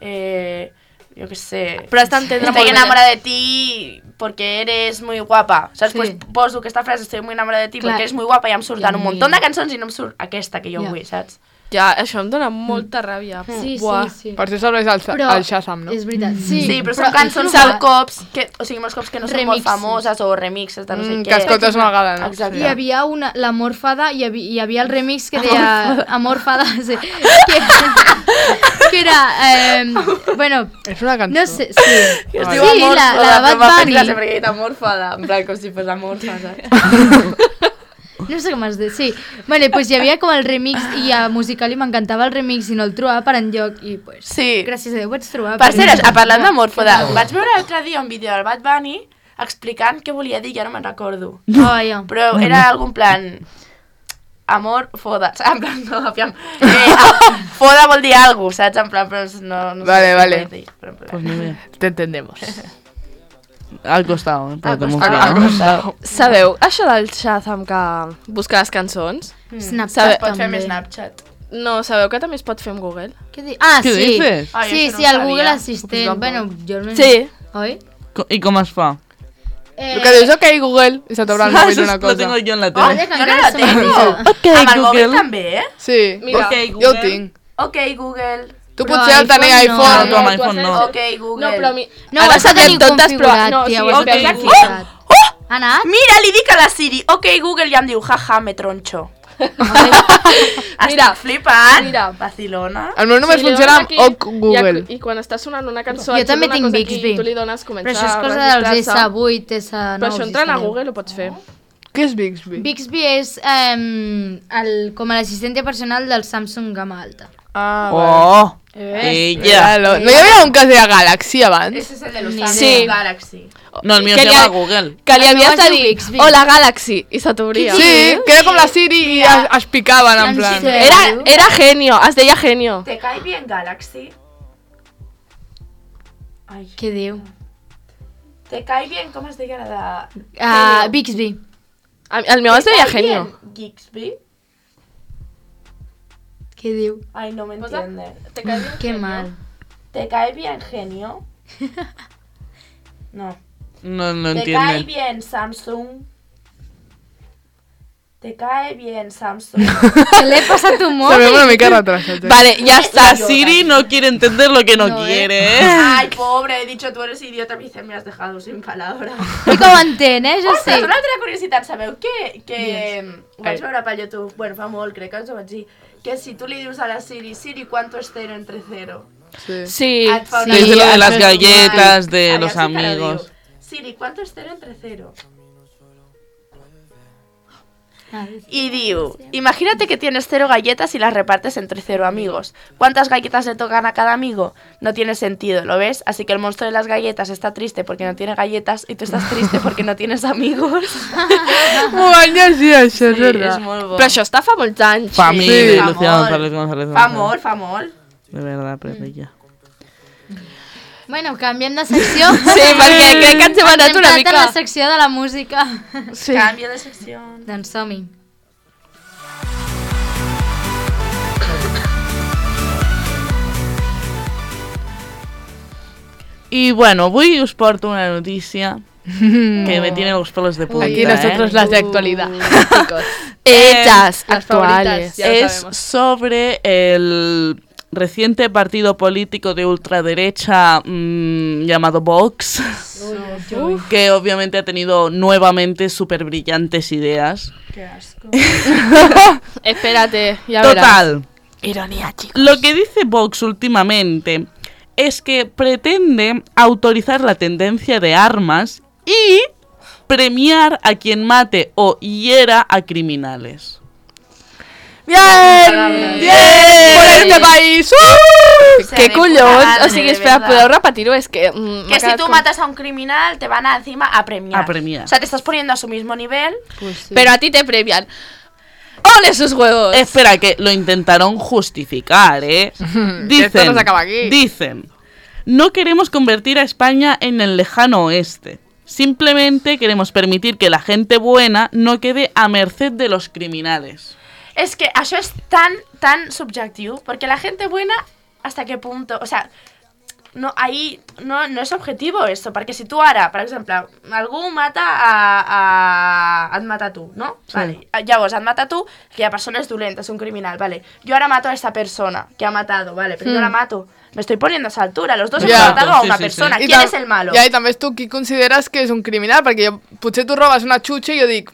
eh, yo qué sé, Però has d'entendre molt estoy bé. enamorada de ti porque eres muy guapa, saps? Sí. Pues poso aquesta frase, estoy muy enamorada de ti Clar. porque eres muy guapa i em surten Ja, un munt de mira. cançons i no em surt aquesta que jo Ja. vull, saps? Ja, això em dona molta ràbia. Sí, Buah. sí, sí. Per això serveix el, Però el Shazam, no? és veritat, sí. Sí, però són però cançons és molts cops, que, o sigui, molts cops que no són molt Remixes. famoses o remixes de no sé Mm, què. que escoltes una vegada, no? Exacte. Hi havia una, la Morfada, hi havia, hi havia el remix que deia... Amorfada, sí. Que, que era... Eh, bueno, És una cançó. no sé, sí. Que es Sí, diu amor, la, la de Bad Bunny. Bunny. Perquè he dit amorfada, en plan com si fos amorfa, saps? No sé com es diu, sí. Vale, pues hi havia com el remix i a Musical.ly m'encantava el remix i no el trobava per enlloc i pues... Sí. Gràcies a Déu vaig trobar. Per cert, perquè- a parlant d'amorfoda, vaig veure l'altre dia un vídeo del Bad Bunny explicant què volia dir, ja no me'n recordo. Oh, ja. Però era algun plan... Amor, foda, saps? En plan, no, aviam. Eh, ah, foda vol dir alguna cosa, saps? En plan, però no, no Vale, sé què vale. vull dir, però en plan. Pues ni idea. Te entendemos. Al costado, eh, para Al que costado, me al quede. costado. Sabeu això del Shazam que busca les cançons? Snapchat Sabe- Pots fer també. més Snapchat. No, sabeu que també es pot fer amb Google? Què di- Ah, Què sí. dices? Ai, Sí, això sí, no ho el Google sabia. Assistent. Bueno, jo almenys... Sí. Oi? Co- ¿Y cómo es fa? Eh, El que dius, ok, Google, i se t'obre el mòbil una Lo cosa. tengo yo en la Oh, tele. que jo no encara la som tengo. amics. Ok, Amb el mòbil Google. també, eh? Sí, Mira. Ok, jo ho Google. tinc. Ok, Google. Tu Però potser el tenia iPhone no. iPhone. No, tu amb tu iPhone has no. Ok, Google. No, però mi... No, ara ho has de sabem tenir totes, però... configurat, No, tia, sí, ho has de espera, tenir aquí. configurat. Ha anat? Mira, li dic a la Siri, ok, Google, i em diu, jaja, me tronxo. Mira, Estic flipant. mira. Vacilona. El meu només Sí, li funciona dones amb aquí, OK Google. I, I quan està sonant una cançó... Jo et surt també una tinc cosa aquí Bixby. i tu li dones començar Però això és a cosa dels registrar-se. S vuit, S nou... Però això entrant a si Google ho pots fer. Què és Bixby? Bixby és eh, el, com l'assistente personal del Samsung Gamma Alta. Ah, vale. Oh, Eh, ella. Claro. No hi havia un que es deia Galaxy abans? Ese es el de los Ni Samsung idea. Galaxy. No, el mío Que se li llama ha- Google. Que li El meu havies es de diu dir, Bixby. hola Galaxy, i se t'obria. Sí, que era com la Siri i es, es picaven, en En plan. sèrio? Era, era genio, es deia genio. ¿Te cae bien Galaxy? Ay. Què diu? ¿Te cae bien? ¿Cómo es de la de... Uh, Bixby. A- El meu es ¿Te deia cae genio. bien Gixby? Què diu? Ay, no me entiende. Te cae bien Que mal. ¿Te cae bien genio? No. No, no ¿Te cae entiende. bien Samsung? ¿Te cae bien Samsung? Què l'he passat un Se veu una mòbil? mica retrasat. Eh? Vale, ya está. La Siri no quiere entender lo que no, No, ¿eh? quiere, ¿eh? Ay, pobre, he dicho tú eres idiota, me dice, me has dejado sin palabras. I com ho entén, eh? Jo Ostres, sé. una altra curiositat, sabeu que, que ho vaig veure per YouTube, bueno, fa molt, crec que us ho vaig dir, que si tu li dius a la Siri, Siri, ¿cuánto es cero entre cero? Sí. Sí, Et fa una Sí, mica lo de las de galletas de Allà los sí que la amigos. diu. Siri, ¿cuánto es cero entre cero? Y diu, imagínate que tienes cero galletas y las repartes entre cero amigos. ¿Cuántas galletas le tocan a cada amigo? No tiene sentido, ¿lo ves? Así que el monstruo de las galletas está triste porque no tiene galletas y tú estás triste porque no tienes amigos. M'ho van llegir, això, és Sí, veritat. és molt bo. però això està fa molts anys. Fa mil, Sí. Lucía Fa González molt. González. Fa González. molt, fa molt. De verdad, pero ella. Bueno, canviem de secció. Sí, perquè crec que ens hem anat Ens hem una quedat mica... en la secció de la música. Sí. Canvio de secció. Doncs som-hi. Y bueno, avui us porto una noticia que me tiene los pelos de punta. Aquí nosotros ¿eh? las de actualidad. Hechas, Las actuales. favoritas. Ya lo Es sabemos. sobre el reciente partido político de ultraderecha mmm, llamado Vox, que obviamente ha tenido nuevamente súper brillantes ideas. Qué asco. Espérate, ya verás. Total, Ironía, chicos. lo que dice Vox últimamente es que pretende autorizar la tendencia de armas y premiar a quien mate o hiera a criminales. Bien! Bien! Por este país! Uh! Se Què de collons? puta O sigui, madre, espera, de verdad. podeu repetir-ho? És que... Mm, m'ha Que si quedat tú com- matas a un criminal, te van a, encima a premiar. A premiar. O sea, te estás poniendo a su mismo nivel. Pero a ti te premian. ¡Ole sus huevos! Espera, que lo intentaron justificar, ¿eh? Dicen, Esto no se acaba aquí. dicen, no queremos convertir a España en el lejano oeste. Simplemente queremos permitir que la gente buena no quede a merced de los criminales. Es que eso es tan, tan subjetivo, porque la gente buena, ¿hasta qué punto? O sea, no, ahí no, no és objetivo esto, perquè si tu ara, per exemple, algú mata a, a... et mata a tu, no? Sí. Vale. Llavors, et mata a tu, aquella persona és dolenta, és un criminal, vale. Yo ahora mato a esta persona que ha matado, vale, pero mm. yo la mato. Me estoy poniendo a esa altura, los dos Ja. hemos matado a Sí, una sí, persona. sí. ¿Quién I es el malo? Ja, i també és tu qui consideres que és un criminal, perquè jo, potser tu robes una xutxa i jo dic,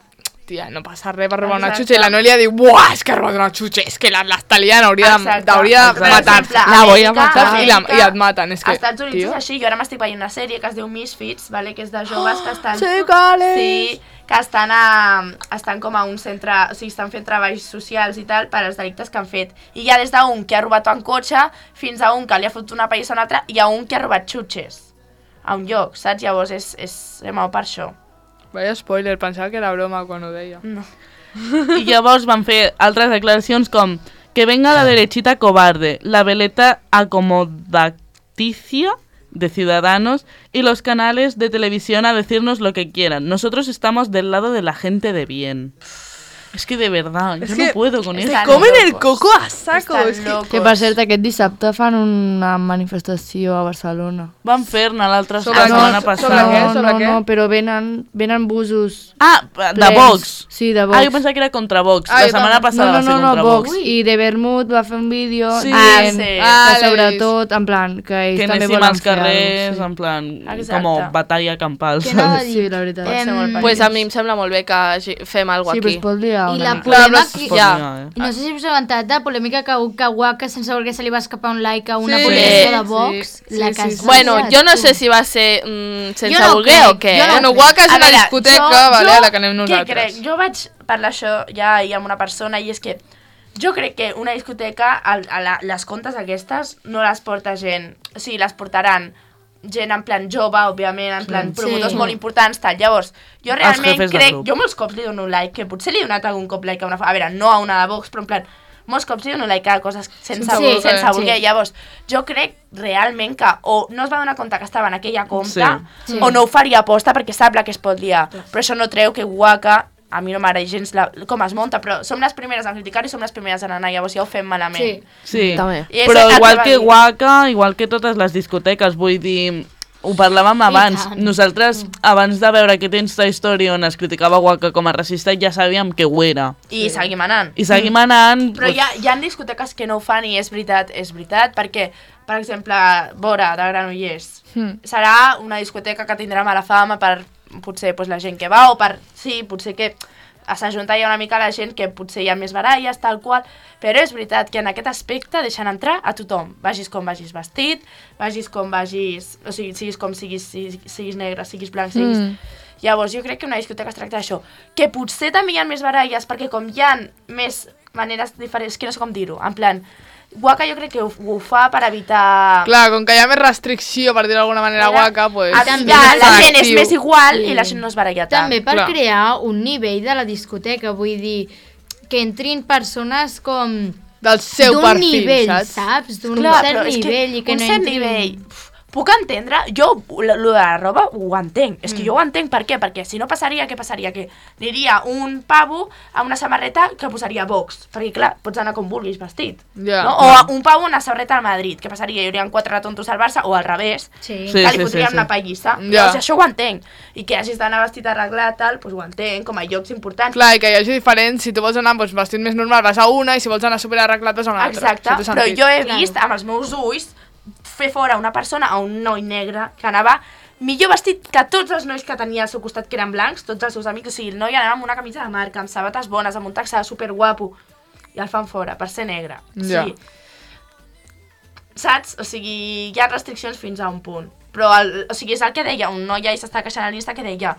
tia, no passa res per robar una Exacte. xutxa, i la Noelia diu, buah, és que ha robat una xutxa, és que la- l'està liant, hauria de- Exacte. d'hauria de Per matar-se. exemple, La voy a Amèrica- matar. I, la, Amèrica- I et maten, és que, Als Estats Units tio. és així, jo ara m'estic veient una sèrie que es diu Misfits, vale? Que és de joves que estan... Sí, cale. Sí, que estan, a, estan com a un centre, o sigui, estan fent treballs socials i tal per als delictes que han fet. I hi ha des d'un que ha robat un cotxe fins a un que li ha fotut una pallissa a un altre i a un que ha robat xutxes a un lloc, saps? Llavors és, és remau per això. Vaya spoiler, pensava que era broma quan ho deia. No. I llavors van fer altres declaracions com que venga la derechita cobarde, la veleta acomodaticia de Ciudadanos y los canales de televisión a decirnos lo que quieran. Nosotros estamos del lado de la gente de bien. Es que de verdad, Es yo que no puedo con están esto. Comen el locos. coco a saco. Estan És que... locos. Que per cert, aquest dissabte fan una manifestació a Barcelona. Van fer-ne l'altra Sobre la què? setmana Sobre passada. què? No, sobre no, què? no, però venen, venen busos Ah, de plens. Vox. Sí, de Vox. Ah, jo pensava que era contra Vox. Ah, la jo setmana també. passada no, no, va ser no, no, contra Vox. Vox. I de Vermut va fer un vídeo Sí. dient Ah, sí. que Ah, l'he sobretot, en plan, que ells Que també anéssim volen als fer carrers, alguna en plan, Exacte. com batalla campal, Què anava a saps? Sí, dir? la veritat. Pot ser molt Em, Pues a mi em sembla molt bé que hagi- fem alguna Sí, cosa però es aquí. pot liar I una la mica. Clar, polèmica... però que- Pot Ja. liar, eh? I no sé si us heu avantat la polèmica que, que Waka, sense voler que se li va escapar un like a una Sí. publicació de Sí, Vox, sí, la sí, que sí. es Bueno, va jo no liar, sé tu. si va ser mm, sense Jo no voler crec, o què. jo no eh? Bueno, crec. Waka és A una veure, discoteca, jo- vale, jo a la que anem Què nosaltres. crec? Jo vaig parlar això ja ahir amb una persona i és que jo crec que una discoteca, a, a la, les contes aquestes, no les porta gent, o sigui, les portaran gent en plan jove, òbviament, en plan Sí. promotors Sí. molt importants, tal. Llavors, jo Els realment jefes de crec, grup. jo molts cops li dono un like, que potser li he donat algun cop like a una... A veure, no a una de Vox, però en plan, molts cops li dono like a coses sense, Sí, voler, sense sí. voler. Llavors, jo crec realment que o no es va donar compte que estava en aquella compta, Sí. o no ho faria aposta perquè sap la que es pot liar. Però això no treu que Waka, a mi no m'agrada gens la, com es munta, però som les primeres en criticar i som les primeres en anar, llavors ja ho fem malament. Sí. Sí, També. I és però el igual va que dir. Waka, igual que totes les discoteques, vull dir, ho parlàvem abans, tant. nosaltres abans de veure aquest Insta Story on es criticava Waka com a racista ja sabíem que ho era. I seguim anant. I seguim anant... Però hi ha, hi ha discoteques que no ho fan i és veritat, és veritat, perquè, per exemple, Vora, de Granollers, Hmm. serà una discoteca que tindrà mala fama per, potser, pues, la gent que va, o per, sí, potser que s'ajunta ja una mica la gent que potser hi ha més baralles, tal qual, però és veritat que en aquest aspecte deixen entrar a tothom, vagis com vagis vestit, vagis com vagis, o sigui, siguis com siguis, siguis, siguis negre, siguis blanc, siguis... Mm. Llavors, jo crec que una discoteca es tracta d'això, que potser també hi ha més baralles, perquè com hi ha més maneres diferents, que no sé com dir-ho, en plan, Waka jo crec que ho, ho fa per evitar... Clar, com que hi ha més restricció, per dir d'alguna manera, Mira, Waka, pues... a- també ja, és la gent és actiu. més igual Sí. i la gent no es baralla tant. També per Clar. crear un nivell de la discoteca, vull dir, que entrin persones com Del seu d'un perfil, nivell, saps? saps? D'un Clar, cert però és que nivell i que un no cert entrin... nivell... Uf, puc entendre, jo lo lo de la roba ho entenc, és que jo ho entenc, per què? Perquè si no passaria, què passaria? Que aniria un pavo a una samarreta que posaria Vox, perquè clar, pots anar com vulguis vestit, Ja. no? O a un pavo a una samarreta al Madrid, què passaria? Hi haurien quatre tontos al Barça, o al revés, Sí. Sí, que li sí, fotrien sí. una pallissa, Ja. o sigui, això ho entenc, i que hagis d'anar vestit arreglat, tal, doncs ho entenc, com a llocs importants. Clar, i que hi hagi diferents, si tu vols anar doncs, vestit més normal vas a una i si vols anar super arreglat vas a una altra. Exacte, Això té però sentit. jo he Claro. vist amb els meus ulls fer fora una persona, a un noi negre, que anava millor vestit que tots els nois que tenia al seu costat, que eren blancs, tots els seus amics, o sigui, el noi anava amb una camisa de marca, amb sabates bones, amb un taxà superguapo, i el fan fora, per ser negre. Ja. Sí. Saps? O sigui, hi ha restriccions fins a un punt. Però, el, o sigui, és el que deia, un noi ahir s'està queixant a l'Insta que deia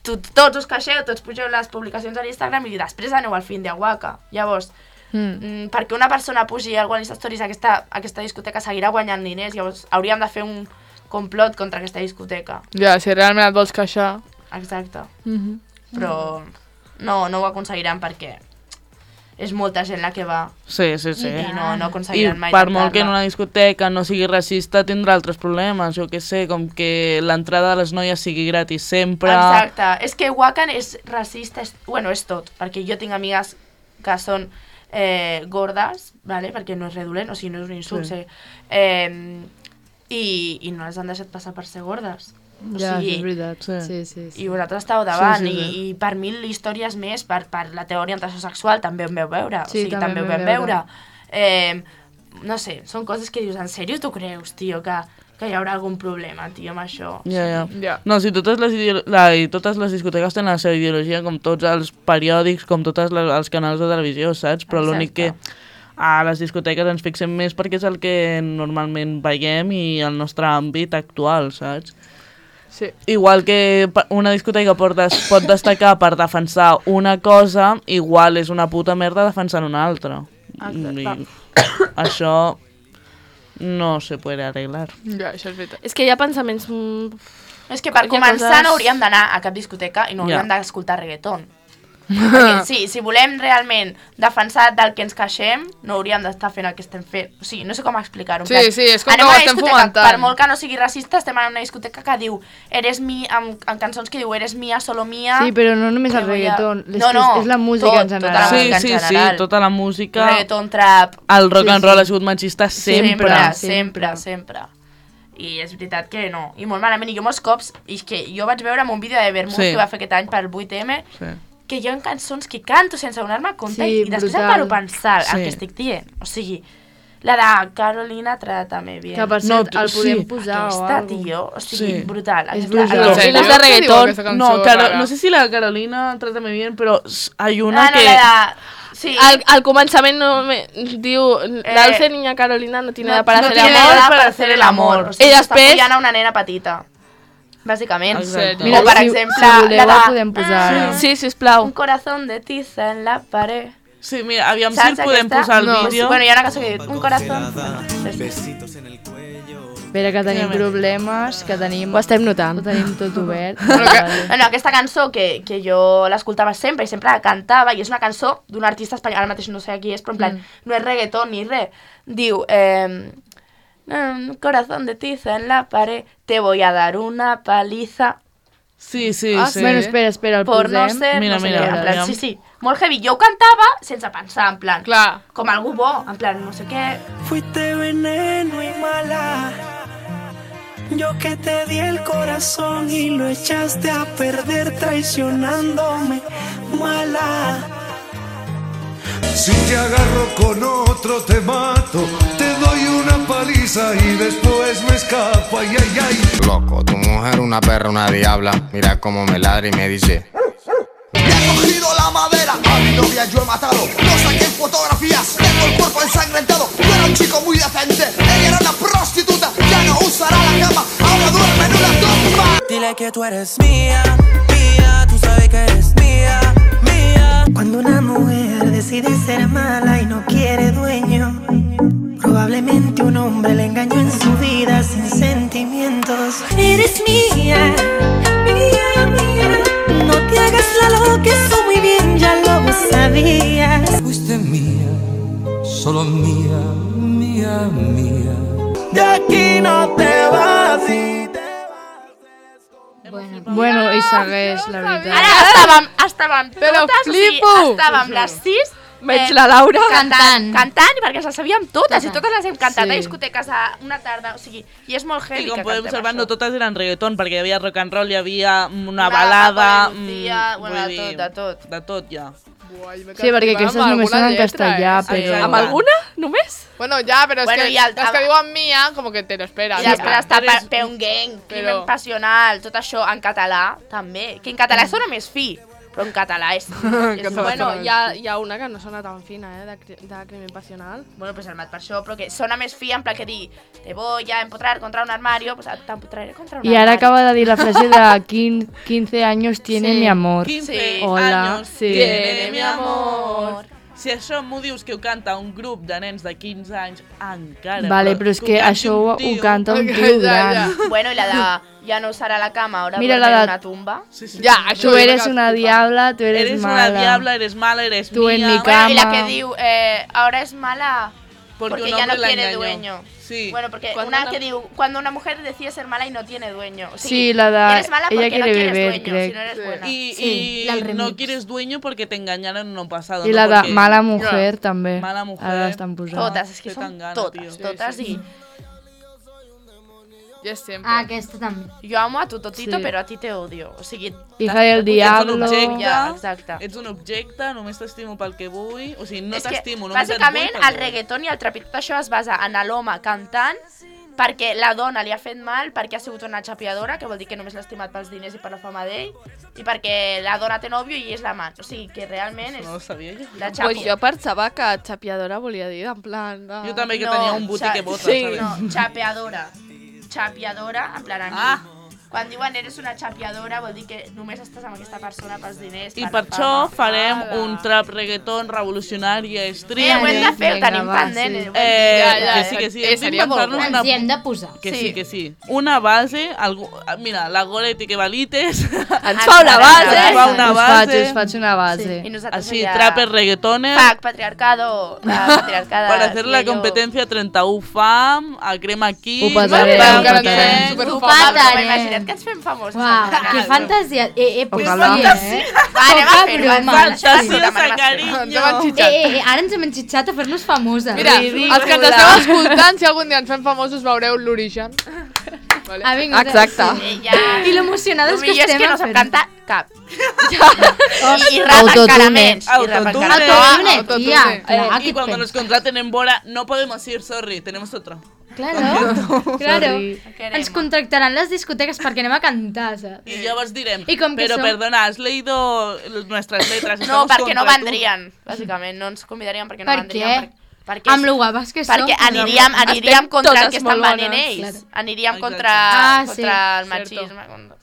tu, tots us queixeu, tots pugeu les publicacions a l'Instagram i després aneu al fin de Waka. Llavors, Mm. Mm, perquè una persona pugi a alguna Stories a aquesta, a aquesta discoteca seguirà guanyant diners, llavors hauríem de fer un complot contra aquesta discoteca. Ja, si realment et vols queixar... Exacte. Mm Però no, no ho aconseguiran perquè és molta gent la que va Sí, sí, sí. i no, no I aconseguiran mai per molt que en tancar-la. una discoteca no sigui racista tindrà altres problemes, jo què sé, com que l'entrada de les noies sigui gratis sempre... Exacte. És que Wakan és racista, és, bueno, és tot, perquè jo tinc amigues que són eh, gordes, vale? Perquè no és redolent, o sigui, no és un insult. Sí. Sí. Eh, i, i no les han deixat passar per ser gordes. O Ja, sigui, és veritat. Sí. Sí, sí, sí. I vosaltres estàu davant, Sí, sí, sí. I, i per mil històries més, per, per la teva orientació sexual, també ho vam veure. Sí, o sigui, també també ho ho vam vam veure. veure. Eh, no sé, són coses que dius, en sèrio tu creus, tio, que, que hi haurà algun problema, tio, amb això? Ja, ja. Ja. No, si totes les, ideolo- la, i totes les discoteques tenen la seva ideologia, com tots els periòdics, com tots les, els canals de televisió, saps? Però Exacte. l'únic que a les discoteques ens fixem més perquè és el que normalment veiem i el nostre àmbit actual, saps? Sí. Igual que pa- una discoteca pot, des, pot destacar per defensar una cosa, igual és una puta merda defensant una altra. I això no se puede arreglar. Ja, això és veritat. És que hi ha pensaments... mm, És que per Hi ha començar coses- no hauríem d'anar a cap discoteca i no Ja. hauríem d'escoltar reggaeton. Perquè sí, si volem realment defensar del que ens queixem, no hauríem d'estar fent el que estem fent. O sigui, no sé com explicar-ho. en Sí, plan, sí, és com anem que ho a una estem discoteca, fomentant. Per molt que no sigui racista, estem en una discoteca que diu Eres mi, amb, amb cançons que diu Eres mía, solo mía. Sí, però no només el que voy a- reggaeton, és, No, que no, és, és la música tot, en tota general. la Sí, música en sí, sí, general. tota la música... Reggaeton, trap. El rock Sí, and roll sí. ha sigut machista sempre. Sempre, sempre. sempre, sempre. I és veritat que no. I molt malament. I jo molts cops, i és que jo vaig veure en un vídeo de Vermouth Sí. que va fer aquest any per vuit eme, Sí. que hi ha cançons que canto sense donar-me compte Sí, i després em brutal. paro a pensar Sí. el que estic dient. O sigui, la de Carolina, trátame bien. Que per No, cert, tu- el podem sí. posar o Aquesta, algo. tio, o sigui, Sí. brutal. És Aquesta- brutal. aquesta- Sí, no és de què diu reggaeton. aquesta cançó No, Caro- rara? no sé si la Carolina Trátame Bien, però s- hay una Ah, no, que... la de... Sí. Al, al començament no me, diu la dulce niña Carolina no tiene no, nada para no hacer tiene amor. nada para hacer el amor. O sigui, I està després- follant a una nena petita. Bàsicament. Exacte. Mira, o per si, exemple, si voleu, la el de... podem posar. Sí, sisplau. Un corazón de tiza en la pared. Sí, mira, aviam si Saps el podem aquesta? posar el No. vídeo. Bueno, hi ha una cançó que diu Un corazón... Espera, que tenim problemes, que tenim... Ho estem notant. Ho tenim tot obert. Bueno, aquesta cançó que, que jo l'escoltava sempre i sempre la cantava, i és una cançó d'un artista espanyol, ara mateix no sé qui és, però en plan, no és reggaeton ni res. Diu, eh, "Mm, corazón de tiza en la pared, te voy a dar una paliza Sí, sí, Ah, sí. Bueno, espera, espera, el por no posem. ser... Mira, no sé mira, què, en plan, aviam. sí, sí, molt heavy. Jo ho cantava sense pensar, en plan, Clar. com algú bo, en plan, no sé què... Fuiste veneno y mala. Yo que te di el corazón y lo echaste a perder traicionándome, mala. Si te agarro con otro te mato, te doy una paliza y después me escapo, ay, ay, ay. Loco, tu mujer una perra, una diabla. Mira cómo me ladra y me dice: He cogido la madera, a mi novia yo he matado. No saqué fotografías, tengo el cuerpo ensangrentado. Yo era un chico muy decente, ella era una prostituta. Ya no usará la cama, ahora duerme en una tumba. Dile que tú eres mía, mía, tú sabes que eres mía, mía. Cuando una mujer decide ser mala y no quiere dueño, probablemente un hombre le engañó en su vida sin sentimientos. Eres mía, mía, mía. No te hagas la loca, eso muy bien ya lo sabías. Fuiste mía, solo mía, mía, mía. De aquí no te vas y te Bueno, i segueix, la veritat. Ara estàvem, estàvem Però totes, flipo! o sigui, estàvem les sis Veig la Laura cantant, cantant, perquè les sabíem totes, i totes les hem cantat Sí. a discoteques a una tarda, o sigui, i és molt heavy I com que podem cantem observar, això. no totes eren reggaeton, perquè hi havia rock and roll, hi havia una, Una balada... Paco de Lucía, mm, bueno, vull de dir, tot, de tot. De tot, ja. Buah, jo m'he Sí, quedat perquè flipada aquestes amb només són alguna en lletra, castellà, eh? però... Sí. Amb alguna? Només? Bueno, ja, però és Bueno, que i el- les que diuen mia, com que te lo esperas. I després està Eres- pe un gang, crimen Però- passional, tot això en català, també. Que en català sona més fi, però en català és... és Català bueno, sona Hi ha, hi ha una que no sona tan fina, eh, de, cri- de crimen passional. bueno, pues el mat per això, però que sona més fi, en plan que dir te voy a empotrar contra un armario, pues t'empotraré contra un I ara armario. acaba de dir la frase de quin- quince años tiene Sí. mi amor. quince Sí. Hola. años Sí. tiene mi amor. Si això m'ho dius que ho canta un grup de nens de quinze anys, encara... Vale, però és ho que canti això un ho, ho tio. canta un Ja, tio ja, gran. Bueno, i la de ya no usarà la cama, ahora Mira duerme la en de- una tumba. Sí, sí, Ja, sí. això Tu jo m'he eres quedat una flipada. diabla, tu eres, Eres mala. una diabla, eres mala, eres Tú en mía. mi Bueno, y la cama. que diu, eh, ahora es mala Porque porque, un ya no hombre la tiene engañó. dueño. Sí. Bueno, porque Cuando una una- que diu, cuando una mujer decide ser mala y no tiene dueño. Sí, Sí, la de eres mala ella porque no quiere quieres beber, dueño, crec. si no eres buena. Y, Sí, y la del no remix. quieres dueño porque te engañaron en un pasado. I no la de porque- mala mujer també. Mala mujer. Ara l'estan posant. Totes, és que Té són tan gana, totes, tio. totes i... Yes, sempre. Ah, aquesta també. Jo amo a tu totito, Sí. però a ti te odio. O sigui... Hija del Ets un diablo. objecte, Ja, exacte. ets un objecte, només t'estimo pel que vull, o sigui, no És que, t'estimo, només et vull bàsicament, pel que el vull. reggaeton i el trap i tot això es basa en l'home cantant perquè la dona li ha fet mal, perquè ha sigut una xapiadora, que vol dir que només l'ha estimat pels diners i per la fama d'ell, i perquè la dona té nòvio i és l'amant. O sigui, que realment és... No ho sabia jo. La Pues xapi. jo pensava que xapiadora volia dir, en plan... De... Jo també que No, tenia un buti xa- que bota, sí. ¿sabes? No, xapeadora. Xapiadora, en plan amic. Ah. Quan diuen eres una xapiadora vol dir que només estàs amb aquesta persona pels diners, I per per la això fama. farem Ala. un trap reggaeton revolucionari a Eh, extrem. ho hem de fer, ho Vinga, tenim va, pendent. sí. eh, ho hem Eh, de Ja, dir. ja, que sí, que sí. eh, hem seria molt d'inventar-nos guai. una... Ens hi hem de posar. Que sí. Sí. que sí. Una base, algú... mira, la Goretti que valites, Ens fa una Ens base. ens fa una Us faig, base, us faig una base. I nosaltres així, allà... trapper reggaetoner, Pac, patriarcado, la patriarcada... para hacer la sí, jo- competencia trenta u fam, a crema aquí, Ho patarem, veure ho què patarem. fem. Super Ho famosos. patarem. Imagina't que ens fem famosos. Uau, que fantasia. Eh, eh, pues Ojalà. sí, eh? Va, anem a Poca fer-ho. broma. Fantasia, Fantasia, sí. carinyo. Ens hem Eh, enxitxat. eh, eh, ara ens hem enxitxat a fer-nos famoses. Mira, els que ens esteu escoltant, si algun dia ens fem famosos, veureu l'origen. Vale. Ha vingut, Exacte. Eh, ja... I l'emocionades El que millor és estem que a no sap fer-ho. cantar cap. I, i rapa Autotune. encara menys. I rapa Autotune. encara menys. Autotune, Autotune. tía. Eh, Clar, y ¿qué cuando te- nos contraten en Bora, no podemos ir, sorry, tenemos otro. Claro, claro. Sorry. Queremos. Ens contractaran les discoteques perquè anem a cantar, saps? Y ya os diré, Y com que pero som- perdona, ¿has leído nuestras letras? No, Estamos perquè no contra tu. vendrien, bàsicament. No ens convidarien perquè no Per vendrien. què? Per, perquè Amb lo guapas que som. perquè aniríem, aniríem Estem contra el totes que estan molt venent bones. ells. Aniríem Exacte. contra, Ah, sí, contra el cierto. machisme. contra-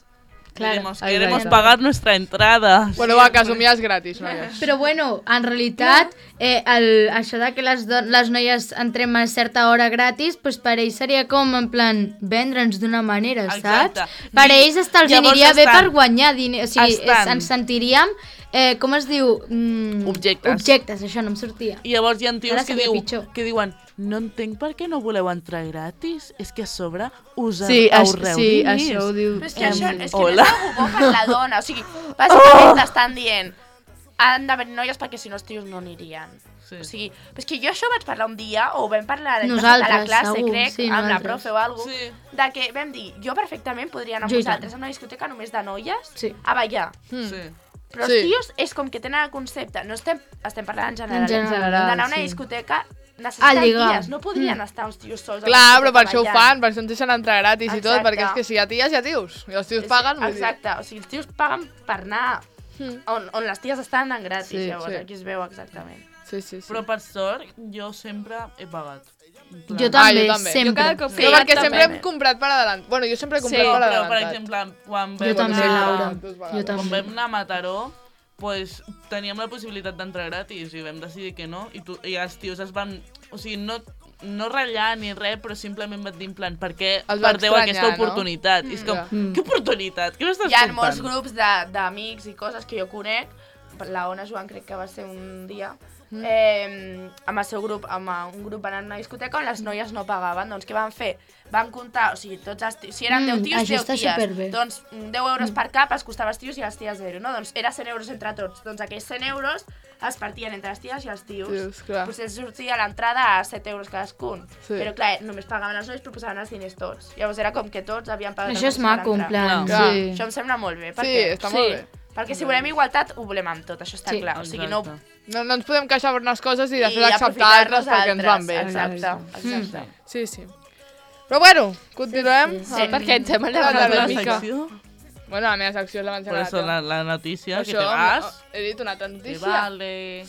Queremos, Claro. queremos Exacte. pagar nuestra entrada. Bueno, va, que assumies gratis, noies. Però bueno, en realitat, eh, el, això de que les, do- les noies entrem a certa hora gratis, pues per ells seria com, en plan, vendre'ns d'una manera, Exacte. saps? Per I ells hasta els llavors aniria bé estan- per guanyar diners. O sigui, estan- es, ens sentiríem, eh, com es diu? Mm, Objectes. Objectes, això no em sortia. I llavors hi ha tios Ara que, seria diu, pitjor. que diuen no entenc per què no voleu entrar gratis, és que a sobre us Sí, això, ahorreu sí, diners. això ho diu. Però és que això és que Hola. no és algú bo per la dona. O sigui, bàsicament t'estan dient han d'haver noies perquè si no els tios no anirien. Sí. O sigui, però és que jo això ho vaig parlar un dia, o ho vam parlar a Nosaltres, la classe, segur, crec, sí, amb la nosaltres. profe o alguna Sí. de que vam dir, jo perfectament podria anar amb Jo i tant. vosaltres a una discoteca només de noies Sí. a ballar. Sí. Però els Sí. tios és com que tenen el concepte, no estem, estem parlant en general, En general, d'anar a una sí. discoteca A necessiten lligar. ties, no podrien estar uns tios sols. a la Clar, però per discoteca això ho ballant. fan, per això ens deixen entrar gratis i tot, Exacte. perquè és que si hi ha ties, hi ha tios. I els tios Sí, paguen, vull dir. exacte, o sigui, els tios paguen per anar on, on les ties estan anant gratis, Sí, llavors sí. aquí es veu exactament. Sí, sí, sí. Però per sort, jo sempre he pagat. En plan- Jo també, Ah, jo també. sempre. Jo cada cop Sí, sí, no, perquè jo sempre també. hem comprat per adelant. Bueno, jo sempre he Sí, comprat per però adelantat. per exemple, quan Jo vam, també, sí, Laura. dues vegades. Jo quan també. vam anar a Mataró, pues, teníem la possibilitat d'entrar gratis i vam decidir que no. I, tu, i els tios es van... O sigui, no, no ratllar ni res, però simplement van dir en plan, per què Els va perdeu estranyar, aquesta no? oportunitat? I és com, Ja. què oportunitat? Què m'estàs Hi ha contant? molts grups de- d'amics i coses que jo conec, la Ona Joan crec que va ser un dia, Mm. eh, amb el seu grup, amb un grup van anar a una discoteca on les noies no pagaven, doncs què van fer? Van comptar, o sigui, tots els tios, si eren Mm, deu tios, això deu està ties, superbé. doncs mm, deu euros per cap els costava als tios i als ties zero, no? Doncs era cent euros entre tots, doncs aquells cent euros es partien entre les ties i els tios. Tios, clar. Pues els sortia l'entrada a set euros cadascun, Sí. però clar, només pagaven els nois però posaven els diners tots. Llavors era com que tots havien pagat Això el és mateix per maco, en entrar. plan. Clar. Sí. Això em sembla molt bé, Sí, perquè, està molt bé. perquè si volem igualtat, ho volem amb tot, això està Sí. clar. O sigui, no... Exacte. No, no ens podem queixar per unes coses i i després acceptar aprofitar-nos altres perquè ens van altres. bé. Exacte, exacte. Sí, sí. Però bueno, continuem. Sí, sí. Ah, Perquè ens hem La allargat meva una mica. secció. Bueno, la meva secció és la Por eso la, la noticia, que Això, te vas. he dit una altra Te notícia. vale.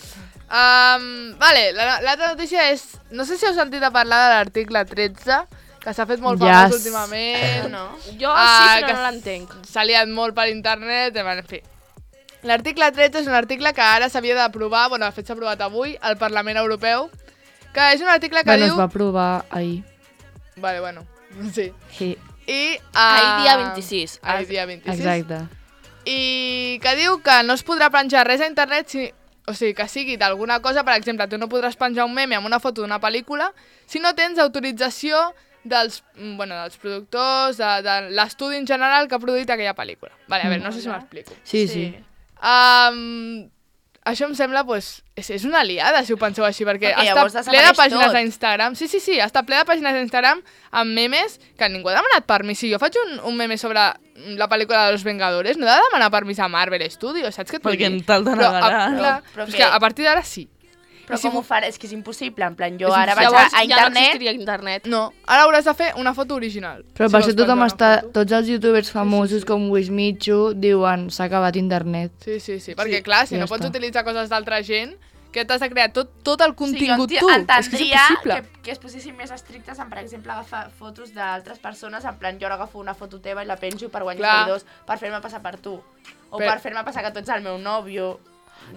Um, vale, la- l'altra notícia és... No sé si heu sentit a parlar de l'article tretze, que s'ha fet molt Yes. famós últimament. No? Jo Ah, sí, però que no l'entenc. S'ha liat molt per internet, en fi. L'article tretze és un article que ara s'havia d'aprovar, bueno, de fet s'ha aprovat avui, al Parlament Europeu, que és un article que Bueno, diu... es va aprovar ahir. Vale, bueno, sí. Sí, I... Uh... Ahir dia vint-i-sis. Ahir dia vint-i-sis. exacte. I que diu que no es podrà penjar res a internet, si, o sigui, que sigui d'alguna cosa, per exemple, tu no podràs penjar un meme amb una foto d'una pel·lícula si no tens autorització dels, mm, bueno, dels productors, de, de l'estudi en general que ha produït aquella pel·lícula. Vale, a veure, no sé si m'explico. Sí, sí. Um, això em sembla, pues, és, és una liada, si ho penseu així, perquè, Perquè està llavors ple de desapareix pàgines tot. d'Instagram. Sí, sí, sí, està ple de pàgines d'Instagram amb memes que ningú ha demanat permís. Si jo faig un, un meme sobre la pel·lícula de Los Vengadores, no he de demanar permís a Marvel Studios, saps què et vull Perquè dir? en tal de Però, negarà. a, clar, Però és que- que a partir d'ara sí. Però I si com ho m'ho- faré? És que és impossible. En plan, jo És ara vaig Llavors a, a ja no internet... existiria internet. No, ara hauràs de fer una foto original. Però Si per vols això tothom penjar està... una foto. Tots els youtubers famosos com Wismichu diuen s'ha acabat internet. Sí, sí, sí, perquè clar, si ja no pots està. utilitzar coses d'altra gent, que t'has de crear tot, tot el contingut sí, jo tu. entendria És que és impossible. que, que es posessin més estrictes en, per exemple, agafar fotos d'altres persones, en plan, jo ara agafo una foto teva i la penjo per guanyar Clar. seguidors, per fer-me passar per tu. O Però- per fer-me passar que tu ets el meu nòvio,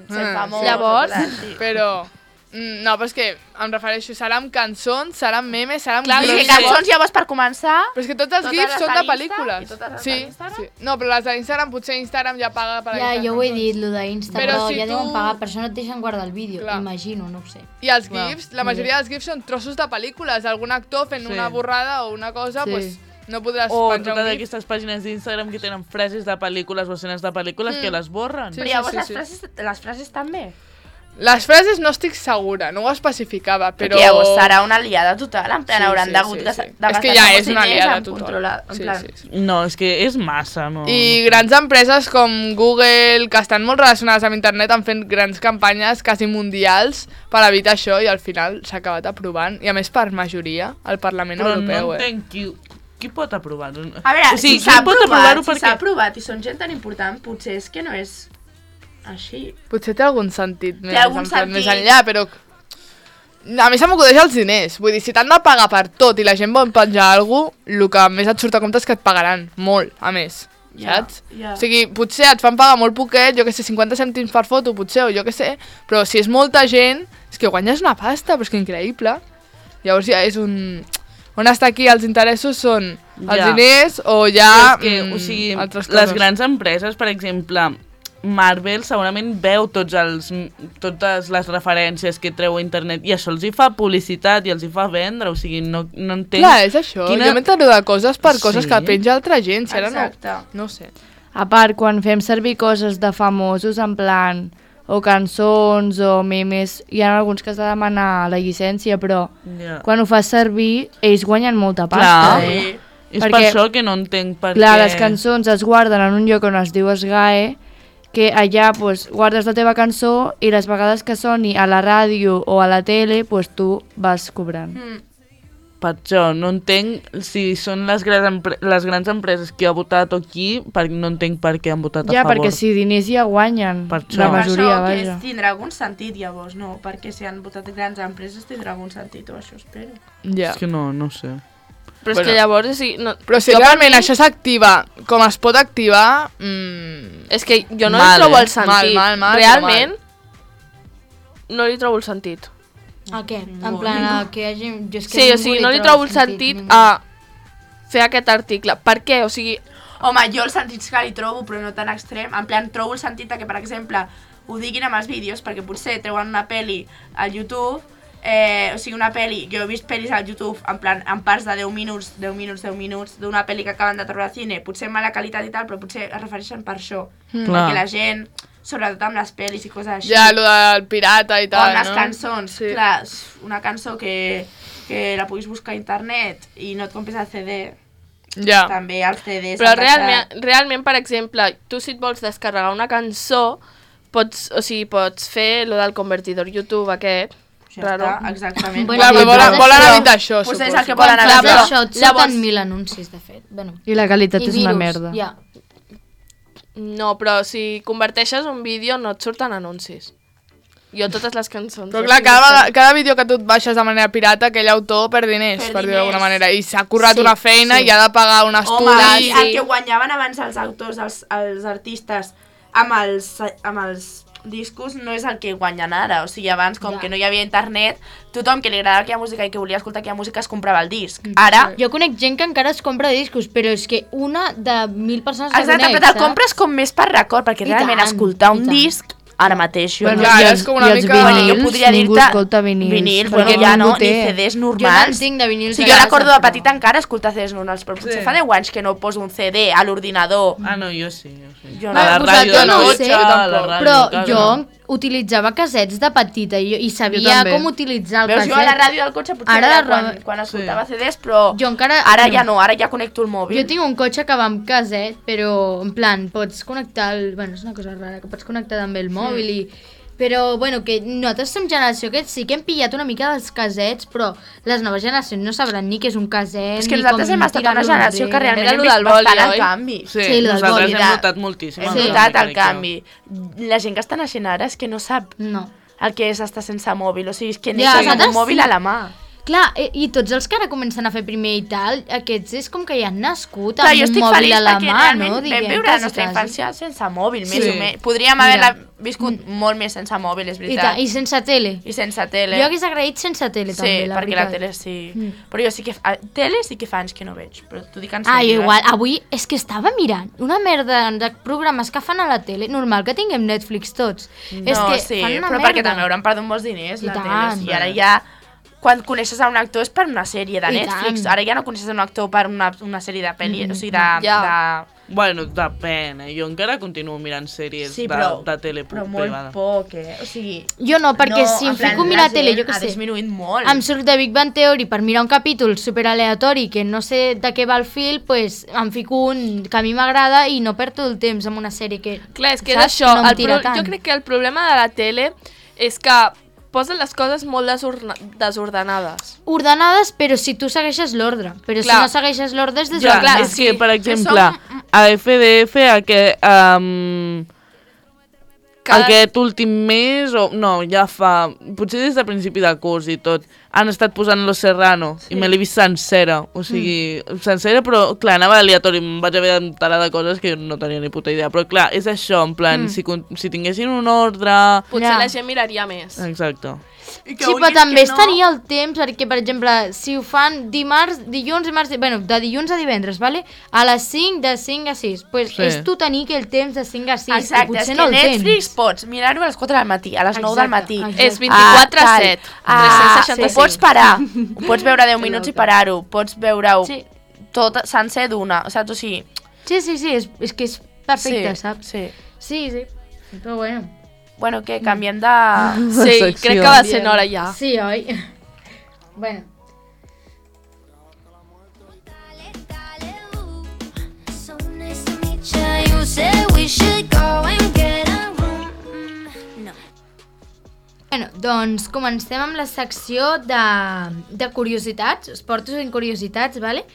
sent Mm, famós... Llavors- o coses així. Però... mm, No, però és que em refereixo, serà amb cançons, serà amb memes, serà amb Clar, gifs. és que cançons llavors per començar... Però és que tots els totes gifs les són de de l'Insta pel·lícules. i totes les Sí, de l'Instagram? sí. No, però les d'Instagram, potser Instagram ja paga per Ja, aquestes jo ho he cançons. dit, lo d'Insta, Però però, si ja tu- deuen pagar, per això no et deixen guardar el vídeo, Clar. imagino, no ho sé. I els Clar. gifs, la majoria dels gifs són trossos de pel·lícules. Algun actor fent Sí. una borrada o una cosa, Sí. pues, no podràs O penjar totes un gif. aquestes pàgines d'Instagram que tenen frases de pel·lícules o escenes de pel·lícules Mm. que les borren. Sí, Però llavors sí, les, sí. frases, les frases també. Les frases no estic segura, no ho especificava, però... Però... Perquè llavors serà una liada total, en plan, Sí, hauran sí, d'hagut sí, de, sí. de És gastar que ja molts és una diners liada en total. controlar, en Sí, plan... sí, sí. No, és que és massa, no? I grans empreses com Google, que estan molt relacionades amb internet, han fet grans campanyes quasi mundials per evitar això i al final s'ha acabat aprovant. I a més per majoria, al Parlament Però Europeu, no eh? entenc qui, qui pot aprovar-ho. A veure, o sigui, si s'ha qui pot aprovat, aprovar-ho si perquè... s'ha aprovat i són gent tan important, potser és que no és així. Potser té algun sentit més, algun en plan, sentit. més enllà, però... A mi se m'acudeix els diners. Vull dir, si t'han de pagar per tot i la gent vol penjar alguna cosa, el que més et surt a compte és que et pagaran molt, a més. Ja, Saps? ja. O sigui, potser et fan pagar molt poquet, jo que sé, cinquanta cèntims per foto, potser, o jo que sé, però si és molta gent, és que guanyes una pasta, però és que increïble. Llavors ja és un... On està aquí els interessos són els Ja. diners o ja Però és que, mm, o sigui, altres les coses. grans empreses, per exemple, Marvel segurament veu tots els, totes les referències que treu a internet i això els hi fa publicitat i els hi fa vendre, o sigui, no, no entenc... Clar, és això. Jo m'entero de coses per coses Sí. que penja altra gent, si ara Exacte. no... No ho sé. A part, quan fem servir coses de famosos, en plan, o cançons o memes, hi ha alguns que has de demanar la llicència, però Ja. quan ho fas servir, ells guanyen molta pasta. Clar, Eh? és per això que no entenc per clar, què... les cançons es guarden en un lloc on es diu S G A E, que allà pues, guardes la teva cançó i les vegades que soni a la ràdio o a la tele, pues, tu vas cobrant. Mm. Per això, no entenc si són les grans, empre les grans empreses qui ha votat o qui, per, no entenc per què han votat Ja, a favor. perquè si diners ja guanyen, Per això. la Per majoria, això que vaja. és, tindrà algun sentit, llavors, no? Perquè si han votat grans empreses tindrà algun sentit, o això espero. Ja. És que no, no sé. Però és Bueno. que llavors... O sigui, no, Però si jo per realment mi- això s'activa com es pot activar... Mm, És que jo no mal, li trobo eh? el sentit. Mal, mal, mal, Realment, no li trobo el sentit. A què? En plan, a que hi hagi... Jo és que Sí, o ningú sigui, no li trobo el sentit ningú. a fer aquest article. Per què? O sigui, Home, jo el sentit que li trobo, però no tan extrem. En plan, trobo el sentit de que, per exemple, ho diguin amb els vídeos, perquè potser treuen una peli al YouTube, eh, o sigui, una peli, jo he vist pel·lis al YouTube, en plan, en parts de deu minuts, deu minuts, deu minuts, d'una peli que acaben de treure al cine, potser amb mala qualitat i tal, però potser es refereixen per això. Mm. Perquè Clar. la gent, sobretot amb les pel·lis i coses així... Ja, lo del pirata i o tal, amb les no? cançons, Sí. clar, una cançó que, que la puguis buscar a internet i no et compres el C D, Ja. també els C Ds... però han realment, passat- realment, per exemple, tu si et vols descarregar una cançó, pots, o sigui, pots fer lo del convertidor YouTube aquest, Ja raro. està, exactament. Bueno, Clar, però volen- volen evitar això, Potser és suposo. el que volen Clar, evitar. però això et surten Llavors- mil anuncis, de fet. Bueno. I la qualitat I és una virus, merda. Ja. No, però si converteixes un vídeo no et surten anuncis. Jo totes les cançons... Però o clar, sigui, cada, estan- vegada- cada vídeo que tu et baixes de manera pirata, aquell autor perd diners, Perd per dir-ho d'alguna diners. manera, i s'ha currat Sí, una feina sí. i ha de pagar un Home, estudi. i el que guanyaven abans els autors, els, els artistes, amb els, amb els discos no és el que guanyen ara. O sigui, abans, com Ja. que no hi havia internet, tothom que li agradava aquella música i que volia escoltar aquella música es comprava el disc. Ara... Jo conec gent que encara es compra discos, però és que una de mil persones que Exacte, conec, però te'l saps? compres com més per record, perquè I realment tant, escoltar i un tant. disc ara mateix jo Bueno, no... i Clar, els, és com una i els mica- Bueno, jo vinils, podria ningú dir-te... escolta vinils. Vinils, perquè bueno, ja no, ningú ni té. C Ds Jo normals. no en tinc de vinils Sí, a jo casa, recordo de però- petita encara escoltar C Ds normals, però potser Sí. fa deu anys que no poso un C D a l'ordinador. Ah, no, jo sí, jo sí. Jo A no. la vosaltres ràdio, no ho no, sé, a la ràdio, Però clar, jo no. utilitzava casets de petita i, i sabia com utilitzar el Veus, caset. jo a la ràdio del cotxe potser Ara, era quan, quan escoltava C Ds, però jo encara, ara ja no, ara ja connecto el mòbil. Jo tinc un cotxe que va amb caset, però en plan, pots connectar el... Bueno, és una cosa rara, que pots connectar també el mòbil mm. i... Però, bueno, que nosaltres som generació que sí que hem pillat una mica dels casets, però les noves generacions no sabran ni què és un caset, és que ni nosaltres com hem estat una generació que realment hem vist bastant el canvi. Sí, sí nosaltres hem notat moltíssim. Hem notat el canvi. La gent que està naixent ara és que no sap no. el que és estar sense mòbil, o sigui, és que ja, neixes amb un mòbil sí. a la mà. Clar, i, i tots els que ara comencen a fer primer i tal, aquests és com que ja han nascut Clar, amb un mòbil a la mà, no? Vam viure la nostra infància sense mòbil, més sí. o menys. Podríem haver viscut mm. molt més sense mòbil, és veritat. I, I sense tele. I sense tele. Jo hagués agraït sense tele, sí, també, la perquè veritat. la tele sí. Mm. Però jo sí que... A, tele sí que fa anys que no veig, però t'ho dic en Ah, sèrio. igual. Avui és que estava mirant una merda de programes que fan a la tele. Normal que tinguem Netflix tots. No, és que sí, fan una però merda. perquè també hauran perdut molts diners, I la tant. tele. I ara ja... Quan coneixes a un actor és per una sèrie de I Netflix. tant. Ara ja no coneixes a un actor per una, una sèrie de pel·li, mm. o sigui, de... Ja. de... Bueno, depèn, eh? Jo encara continuo mirant sèries sí, de, però, de tele però privada. molt poc, eh? O sigui... Jo no, perquè no, si em plan, fico a mirar la tele, gent jo què ha sé, disminuït molt. em surt de Big Bang Theory per mirar un capítol super aleatori que no sé de què va el fil, pues em fico un que a mi m'agrada i no perdo el temps amb una sèrie que... Clar, és que és saps? això, no em el tira pro... tant. jo crec que el problema de la tele és que posen les coses molt desorna... desordenades. Ordenades, però si tu segueixes l'ordre. Però Clar. si no segueixes l'ordre és Ja, desordenat. és que, per exemple, a F D F, a que... Um, Cada... Aquest últim mes, o no, ja fa... Potser des de principi de curs i tot, han estat posant Los Serrano, sí. I me l'he vist sencera, o sigui, mm. sencera, però clar, anava aleatori, em vaig haver d'enterar de coses que jo no tenia ni puta idea, però clar, és això, en plan, mm. si, si tinguessin un ordre... Potser ja. la gent miraria més. Exacte. Sí, però també estaria no... el temps, perquè, per exemple, si ho fan dimarts, dilluns, dimarts, bueno, de dilluns a divendres, vale? A les cinc, de cinc a sis. Pues sí. És tu tenir aquell temps de cinc a sis. Exacte, i potser és que no el Netflix tens. pots mirar-ho a les quatre del matí, a les nou del matí. Exacte. És vint-i-quatre a set. Ah, tres-cents seixanta-cinc. ho pots parar, ho pots veure deu minuts i parar-ho, pots veure-ho sí. tot sencer d'una, saps? O sigui... Sí, sí, sí, és, és que és perfecte, sí, saps? Sí. Sí, sí, però bueno... Bueno, què, canviem de... Sí, crec que va ser hora ja. Sí, oi? Bueno. Bueno, doncs comencem amb la secció de, de curiositats, esportos i curiositats, vale?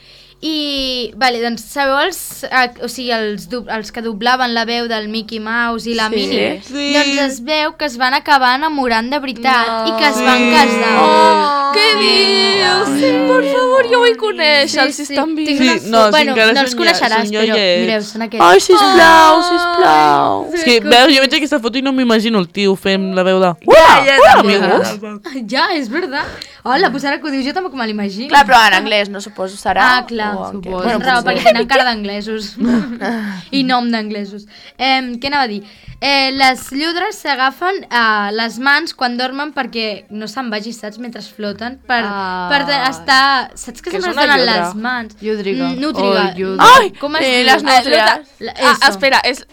I, vale, doncs sabeu els, eh, o sigui, els, els que doblaven la veu del Mickey Mouse i la sí, Minnie? Sí. Doncs es veu que es van acabar enamorant de veritat no. i que es sí. van casar. Oh, què dius? Sí. Per favor, jo vull conèixer, sí, si sí. estan vivint. Sí, una... no, bueno, si no els coneixeràs, però mireu, són aquests. Ai, sisplau, sisplau. Oh, és que, veus, jo veig aquesta foto i no m'imagino el tio fent la veu de... Uah, ja, ja, amigos. Ja, és veritat. Hola, pues ara que ho dius jo tampoc me l'imagino. Clar, però en anglès, no suposo serà? Ah, clar, suposo. Bueno, raó, perquè tenen cara d'anglesos. I nom d'anglesos. Eh, què anava a dir? Eh, les lludres s'agafen a les mans quan dormen perquè no se'n vagi, saps, mentre floten, per, ah. per estar... Saps que, que sempre es donen les mans? Llúdriga. Nútriga. Oh, Ai, com es eh, diu? les nútries. Ah, espera, és...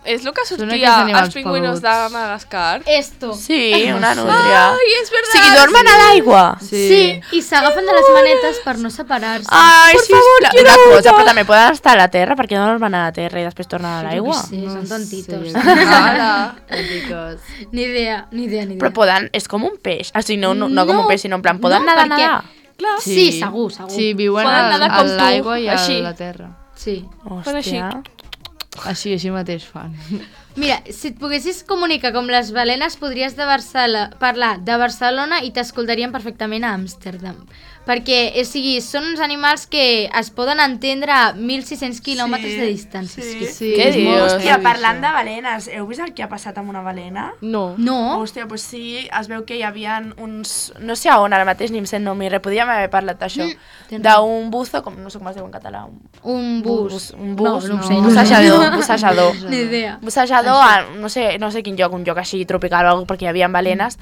És el que sortia als pingüinos de Madagascar? Esto. Sí, una nútria. Ai, és veritat. O sigui, dormen a l'aigua. Sí. sí, i s'agafen de les manetes per no separar-se. Ai, por sí, favor, una cosa, però també poden estar a la terra, perquè no dormen a la terra i després tornen a l'aigua. Sí, són tontitos. Sí. Ni idea, ni idea, ni idea. Però poden, és com un peix. O sigui, no, no, no com un peix, sinó en plan, poden no, nedar, perquè... nedar. Clar. Sí, sí, segur, segur. Sí, viuen poden a, a l'aigua i a així. la terra. Sí. Hòstia. Així, així mateix fan. Mira, si et poguessis comunicar com les balenes, podries de Barcelona, parlar de Barcelona i t'escoltarien perfectament a Amsterdam. Perquè, o sigui, són uns animals que es poden entendre a mil sis-cents quilòmetres Sí, de distància. sí. És que Sí, Què és dius? molt Hòstia, heavy, parlant això. de balenes, heu vist el que ha passat amb una balena? No. No? Hòstia, doncs sí, es veu que hi havia uns... No sé a on ara mateix, ni em sent nom, i res, podríem haver parlat d'això. Mm. D'un buzo, com, no sé com es diu en català. Un, Un bus. un bus, No, no ho no, sé. un bussejador, un bussejador. Ni idea. Un bussejador a, no sé, no sé quin lloc, un lloc així tropical o alguna, perquè hi havia balenes.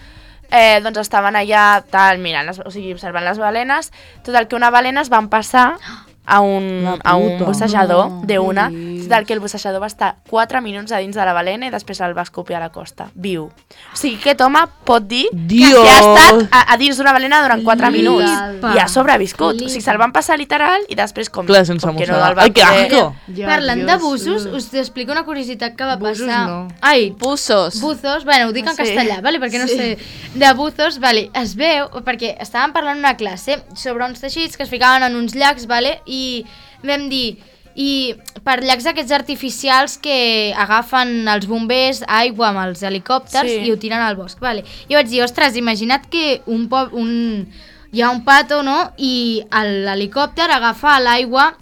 Eh, doncs estaven allà, tal, mirant, les, o sigui, observant les balenes. Total, que una balena es van passar a un, a un bussejador no, d'una. sí. Total, que el bussejador va estar quatre minuts a dins de la balena i després el va escopir a la costa, viu. O sigui, aquest home pot dir Dios. que ha estat a, a dins d'una balena durant quatre minuts Flipa. i ha sobreviscut. Flipa. O sigui, se'l van passar literal i després com, Clar, sense com que no mossegar. el va Ai, que poder... asco! Ja, Parlant Dios. de bussos, us explico una curiositat que va Bussos passar. no. Ai, Buzos. buzos, bueno, ho dic en Sí. castellà, vale? perquè no sé. De buzos, vale, es veu, perquè estàvem parlant una classe sobre uns teixits que es ficaven en uns llacs, vale? I vam dir, i per llacs aquests artificials que agafen els bombers aigua amb els helicòpters Sí. i ho tiren al bosc, vale? I vaig dir, ostres, imagina't que un, pob, un hi ha un pato, no? I l'helicòpter agafa l'aigua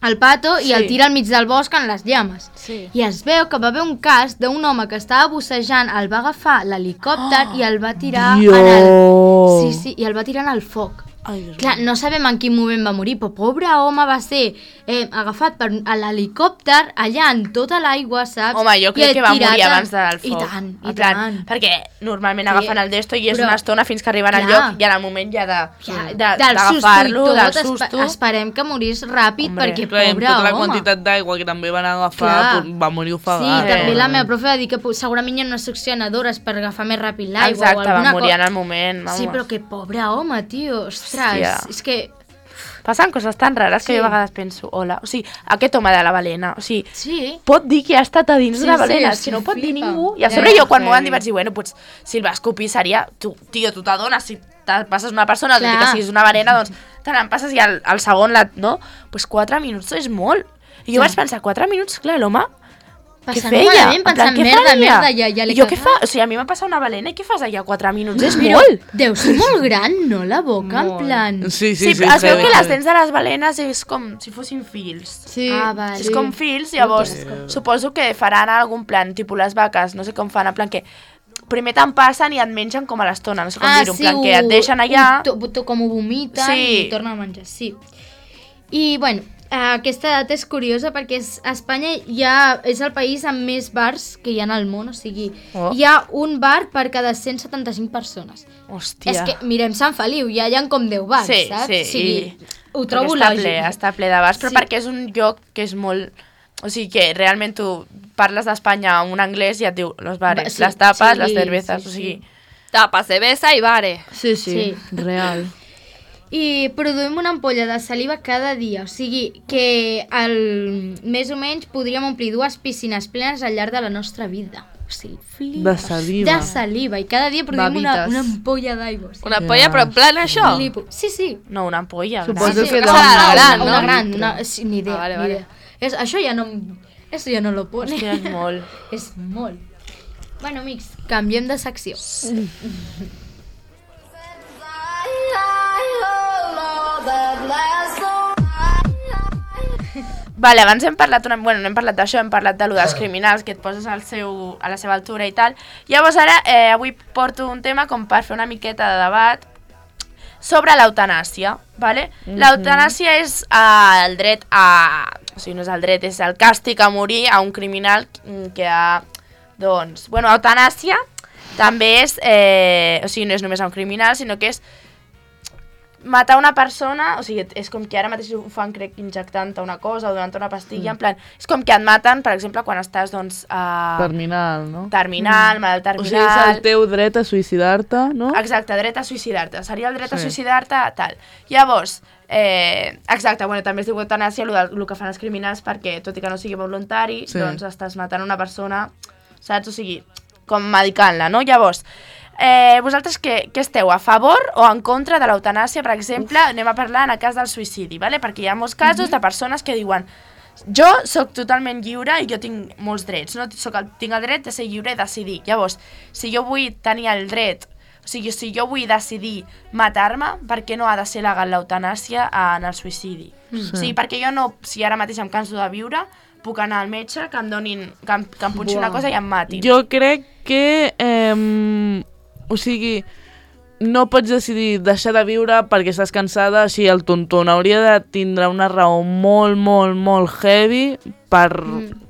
al pato i Sí. el tira al mig del bosc en les llames. Sí. I es veu que va haver un cas d'un home que estava bussejant, el va agafar l'helicòpter Oh, i el va tirar Dios. en el... Sí, sí, i el va tirar en el foc. Ai, Dios Clar, no sabem en quin moment va morir, però pobre home va ser eh, agafat per a l'helicòpter allà en tota l'aigua, saps? Home, jo I crec que va tirat morir en- abans del foc. I tant, i En plan, tant. Perquè normalment Sí, agafen el desto i és però- una estona fins que arriben al Clar. lloc i en el moment ja de- Ja, de- del d'agafar-lo, susto i del tot, susto. espe- esperem que morís ràpid, Hombre. perquè Clar, i amb pobre tota la home. quantitat d'aigua que també van agafar, Clar. pues, va morir Sí, ofegat. també Eh. la meva profe va dir que po- segurament hi ha unes succionadores per agafar més ràpid l'aigua o Exacte, va alguna morir en cosa. el moment. Vamos. Sí, però que pobre home, tio, ostres, Hòstia. és que... Passen coses tan rares que Sí. jo a vegades penso, hola, o sigui, aquest home de la balena, o sigui, Sí. pot dir que ha estat a dins Sí, d'una sí, balena, és és que que no pot dir flipa. ningú. I a Ja, sobre jo, quan sí. m'ho van dir, vaig dir, bueno, pues, si el va escopir seria, tu, tio, tu t'adones, si te passes una persona, tot i Clar. que siguis una balena, doncs te l'empasses i al, al segon, la, no? Pues quatre minuts és molt. I jo Ja. vaig pensar, quatre minuts, clar, l'home, què Passant feia? malament, En plan, pensant, què merda, faria? merda, ja- ja l'he I jo què cagat. fa? O sigui, a mi m'ha passat una balena i què fas allà quatre minuts? És Però molt. deu ser molt gran, no, la boca, en plan... Sí, sí, Sí, sí. sí, es veu sí, que sí. les dents de les balenes és com si fossin fils. Sí. Ah, vale. És com fils, llavors suposo que faran algun plan, tipus les vaques, no sé com fan, en plan que primer te'n passen i et mengen com a l'estona, no sé com dir-ho, en plan que et deixen allà... Ah, Ho, to, com ho vomiten Sí. i tornen a menjar, sí. I, bueno, aquesta data és curiosa perquè és, a Espanya hi ha, és el país amb més bars que hi ha al món, o sigui, Oh. hi ha un bar per cada cent setanta-cinc persones. Hòstia. És que, mirem Sant Feliu, ja hi ha com deu bars, Sí, saps? sí, o sigui, i- ho trobo està lògic. ple, està ple de bars, però Sí. perquè és un lloc que és molt... O sigui que realment tu parles d'Espanya amb un anglès i et diu los bares, Va, sí, les tapes, sí, les cervezas, sí, o sigui... Tapas, cervesa i bare. Sí, sí, Sí. real. I produïm una ampolla de saliva cada dia, o sigui que el, més o menys podríem omplir dues piscines plenes al llarg de la nostra vida. O sigui, flipa. De saliva. De saliva, i cada dia produïm una, Babites. una ampolla d'aigua. O sigui, Una polla, però en plan això. flipo. Sí, sí. No, una ampolla. Suposo gran. que serà dona una gran, una, no? una gran, una, sí, ni idea, Ah, vale, ni vale. idea. És, això ja no, eso ja no lo pone. Hòstia, és molt. És molt. Bueno, amics, canviem de secció. Vale, abans hem parlat, una, bueno, no hem parlat d'això, hem parlat de lo dels criminals, que et poses al seu, a la seva altura i tal. Llavors ara, eh, avui porto un tema com per fer una miqueta de debat sobre l'eutanàsia, vale? L'eutanàsia és eh, el dret a... O sigui, no és el dret, és el càstig a morir a un criminal que ha... Doncs, bueno, eutanàsia també és... Eh, o sigui, no és només a un criminal, sinó que és matar una persona, o sigui, és com que ara mateix ho fan, crec, injectant-te una cosa o donant-te una pastilla, mm. en plan, és com que et maten, per exemple, quan estàs, doncs, a... Terminal, no? Terminal, mm. malalt O sigui, terminal... és el teu dret a suïcidar-te, no? Exacte, dret a suïcidar-te. Seria el dret a Sí. suïcidar-te, tal. Llavors, eh, exacte, bueno, també es diu eutanàsia, el, el que fan els criminals, perquè, tot i que no sigui voluntari, Sí. doncs estàs matant una persona, saps? O sigui, com medicant-la, no? Llavors, eh, vosaltres què, què esteu, a favor o en contra de l'eutanàsia, per exemple? Uf. Anem a parlar en el cas del suïcidi, ¿vale? Perquè hi ha molts casos mm-hmm. de persones que diuen jo sóc totalment lliure i jo tinc molts drets, no? Soc el, tinc el dret de ser lliure i decidir. Llavors, si jo vull tenir el dret, o sigui, si jo vull decidir matar-me, per què no ha de ser legal l'eutanàsia en el suïcidi? Sí. O sigui, perquè jo no, si ara mateix em canso de viure, puc anar al metge, que em donin, que em, que em punxi Buah. una cosa i em matin. Jo crec que... Eh, o sigui, no pots decidir deixar de viure perquè estàs cansada així al tonton. Hauria de tindre una raó molt, molt, molt heavy per... Mm.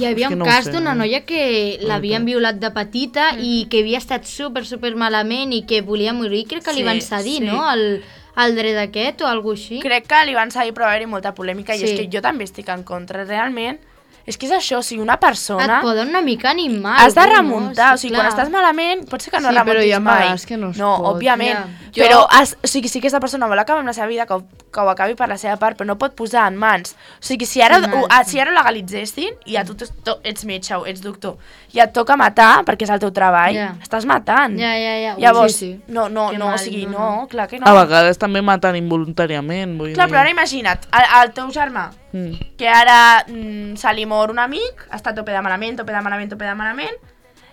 Hi havia És que un no ho cas sé. d'una noia que l'havien violat de petita mm. i que havia estat super, super malament i que volia morir. Crec que li Sí, van cedir, sí. no?, el, el dret aquest o alguna així. Crec que li van seguir, però va haver-hi molta polèmica, Sí. i és que jo també estic en contra. Realment, És que és això, o sigui, una persona... Et poden una mica animar. Has de algú, remuntar, no? o sigui, Clar. quan estàs malament, pot ser que no Sí, però remuntis hi ha mai. vegades que no es no, pot. òbviament. Ja. Però, Jo- has, o sigui, si aquesta persona vol acabar amb la seva vida, que, ho- que ho acabi per la seva part, però no pot posar en mans. O sigui, si ara, Un ho, altre. si ara ho legalitzessin, i a tu t'es- to, ets metge o ets doctor, i et toca matar, perquè és el teu treball, Ja. estàs matant. Ja, ja, ja. Ui, Llavors, sí, sí. no, no, Que no, mal, o sigui, no, no, no. clar que no. A vegades també maten involuntàriament, vull Clar, dir. però ara imagina't, el, el teu germà, Mm. que ara mm, se li mor un amic, està a tope de malament, tope de malament, tope de malament,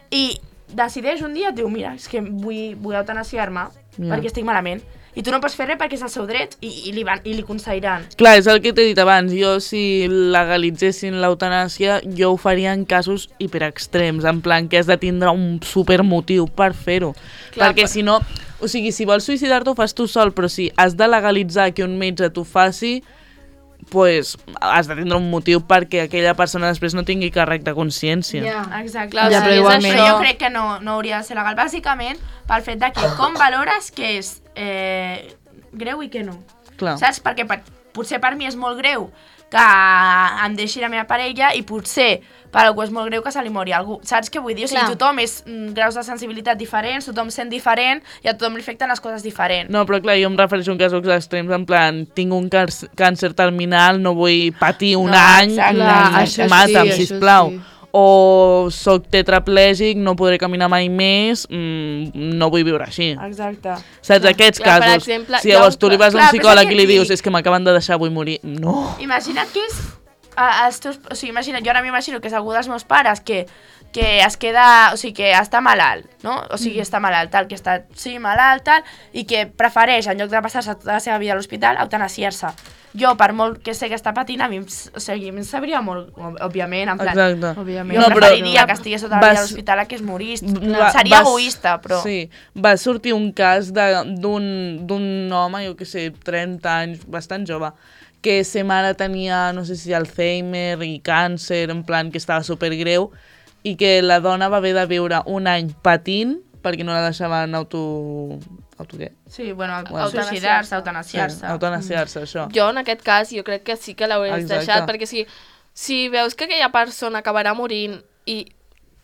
i decideix un dia, et diu, mira, és que vull, vull eutanasiar-me Ja. perquè estic malament. I tu no pots fer res perquè és el seu dret i, i, li, van, i li concediran. Clar, és el que t'he dit abans. Jo, si legalitzessin l'eutanàsia, jo ho faria en casos hiperextrems, en plan que has de tindre un supermotiu per fer-ho. Clar, Perquè però- si no... O sigui, si vols suïcidar-te ho fas tu sol, però si has de legalitzar que un metge t'ho faci, pues, has de tindre un motiu perquè aquella persona després no tingui càrrec de consciència. Ja. Exacte. Clar, Ja, si però és igualment- Però això- jo crec que no, no hauria de ser legal, bàsicament pel fet de que com valores que és eh, greu i que no. Clar. Saps? Perquè per, potser per mi és molt greu que em deixi la meva parella i potser per algú és molt greu que se li mori algú. Saps què vull dir? O sigui, Clar. tothom és mm, graus de sensibilitat diferents, tothom sent diferent i a tothom li afecten les coses diferents. No, però clar, jo em refereixo a un casos extrems, en plan, tinc un càr- càncer terminal, no vull patir un No, any, exacte. Clar, i això sí, mata'm, això sisplau. sí. O soc tetraplègic, no podré caminar mai més, mm, no vull viure així. Exacte. Saps, aquests Clar, per casos. exemple, si hi ha llavors un tu li ca- vas a Clar, un però és psicòleg el i que li et dius dic. és que m'acaben de deixar, vull morir. No. Imagina't que és a, els teus... O sigui, imagina't, jo ara m'imagino que és algú dels meus pares que, que es queda... O sigui, que està malalt, no? O sigui, està malalt, tal, que està sí, malalt, tal, i que prefereix, en lloc de passar-se tota la seva vida a l'hospital, eutanasiar-se. Jo, per molt que sé que està patint, a mi, em s- o sigui, a mi em sabria molt, òb- òbviament, en plan... Exacte. Òbviament. Jo No, no, però- preferiria que estigués tota la vida vas- a l'hospital a que es morís. Va- Seria vas- egoista, però... Sí, va sortir un cas de- d'un d'un home, jo que sé, trenta anys, bastant jove, que sa mare tenia, no sé si Alzheimer i càncer, en plan que estava supergreu, i que la dona va haver de viure un any patint perquè no la deixaven auto... auto què? Sí, bueno, Bueno, suïcidar-se, eutanasiar-se. Sí, eutanasiar-se, això. Jo, en aquest cas, jo crec que sí que l'hauries Exacte. deixat, perquè si, si veus que aquella persona acabarà morint i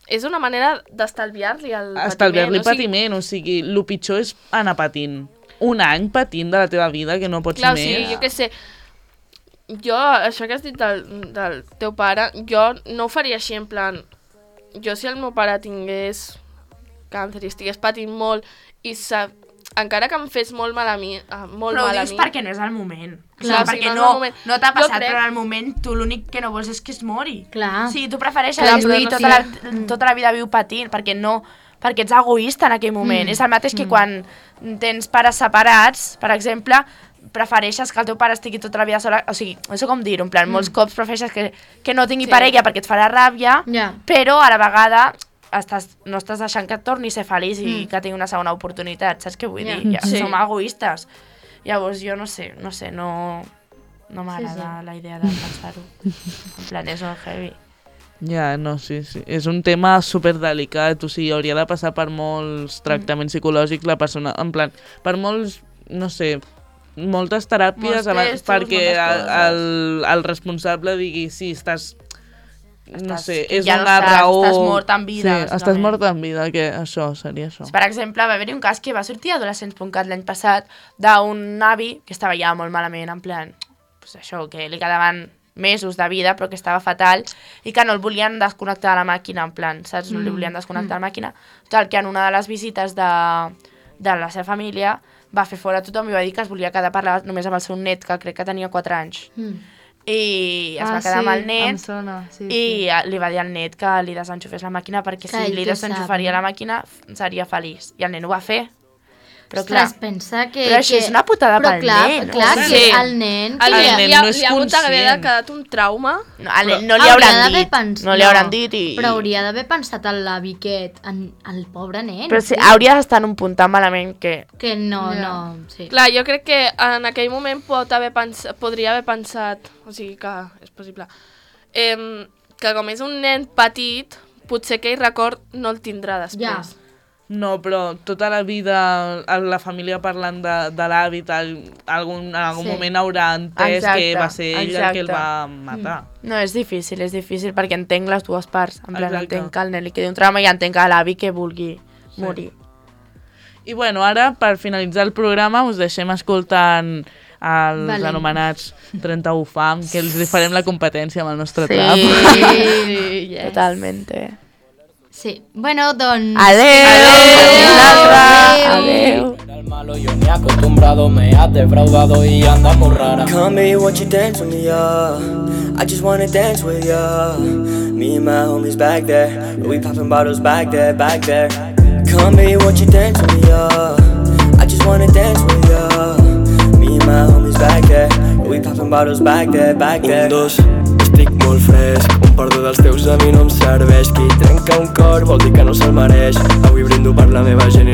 és una manera d'estalviar-li el Estalviar-li patiment. o sigui, patiment, o sigui, el pitjor és anar patint. Un any patint de la teva vida, que no pots Clar, o més. sigui, jo què sé, jo, això que has dit del, del teu pare, jo no ho faria així, en plan, jo si el meu pare tingués càncer i estigués patint molt i sa... encara que em fes molt mal a mi, eh, molt Però ho mal a dius mi... perquè no és el moment. Clar, Clar, o sigui, perquè no és no, el moment. no t'ha Jo passat, crec- però en el moment tu l'únic que no vols és que es mori. Clar. Sí, tu prefereixes Clar, lluir però no tota, sé. la, tota la vida viu patint, perquè no perquè ets egoista en aquell moment. Mm. És el mateix que quan tens pares separats, per exemple, prefereixes que el teu pare estigui tota la vida sola, o sigui, no sé com dir-ho, en plan, molts cops prefereixes que, que no tingui Sí. parella perquè et farà ràbia, Ja. però a la vegada estàs, no estàs deixant que et torni a ser feliç i Mm. que tingui una segona oportunitat, saps què vull Ja. dir? Ja, Sí. som egoistes. Llavors jo no sé, no sé, no, no m'agrada sí. la idea de pensar-ho. En plan, és molt heavy. Ja, no, sí, sí. És un tema superdelicat, o sigui, hauria de passar per molts tractaments psicològics la persona, en plan, per molts, no sé, moltes teràpies Molts abans, testos, perquè moltes el, coses. el, el responsable digui, sí, estàs, no Estàs- sé, que és ja no una estàs- raó... estàs mort en vida, Sí, estàs bàsicament. mort en vida, que això, seria això. Per exemple, va haver-hi un cas que va sortir a adolescents punt cat l'any passat d'un avi que estava ja molt malament, en plan, pues això, que li quedaven mesos de vida, però que estava fatal, i que no el volien desconnectar de la màquina, en plan, saps? No li volien desconnectar la màquina. Tal que en una de les visites de, de la seva família va fer fora tothom i va dir que es volia quedar a parlar només amb el seu net, que crec que tenia quatre anys. Mm. I es Ah, va quedar sí, amb el em net sona, sí, i li va dir al net que li desenxufés la màquina perquè Clar, si ell li què desenxufaria sap, la no? màquina seria feliç. I el nen ho va fer. Però clar, Ostres, pensa que... però això que... és una putada però pel clar, nen. Clar, o que sigui, el nen... El que nen, nen li ha, no és li ha hagut d'haver conscient. quedat un trauma. no, al nen no li hauria hauran d'haver dit. pens- No li hauran dit i... Però hauria d'haver pensat en l'avi aquest, en el pobre nen. Però sí, sí. hauria d'estar en un punt tan malament que... Que no, Ja. no, sí. Clar, jo crec que en aquell moment pot haver pens podria haver pensat, o sigui que és possible, eh, que com és un nen petit, potser aquell record no el tindrà després. Ja. No, però tota la vida la família parlant de, de l'avi, algun, en algun sí. moment haurà entès exacte, que va ser ell exacte. el que el va matar. No, és difícil, és difícil, perquè entenc les dues parts. En plan, exacte. entenc que el nen li quedi un trauma i entenc que l'avi que vulgui sí. morir. I bueno, ara, per finalitzar el programa, us deixem escoltant els vale. anomenats trenta-u fam, que els farem la competència amb el nostre sí. trap. Sí, yes. Totalmente. Sí, bueno, doncs... Adeu! Adeu! Adeu! El malo yo me he acostumbrado, me has defraudado y anda muy rara. Come baby, won't you dance with me, yeah? I just wanna dance with ya. Me and my homies back there, we popping bottles back there, back there. Come baby, won't you dance with me, yeah? I just wanna dance with ya. Me and my homies back there, we popping bottles back there, back there. Un, dos, estic molt fresc, un perdó dels teus a mi no em serveix. Qui trenca un cor vol dir que no se'l mereix. Avui brindo per la meva gent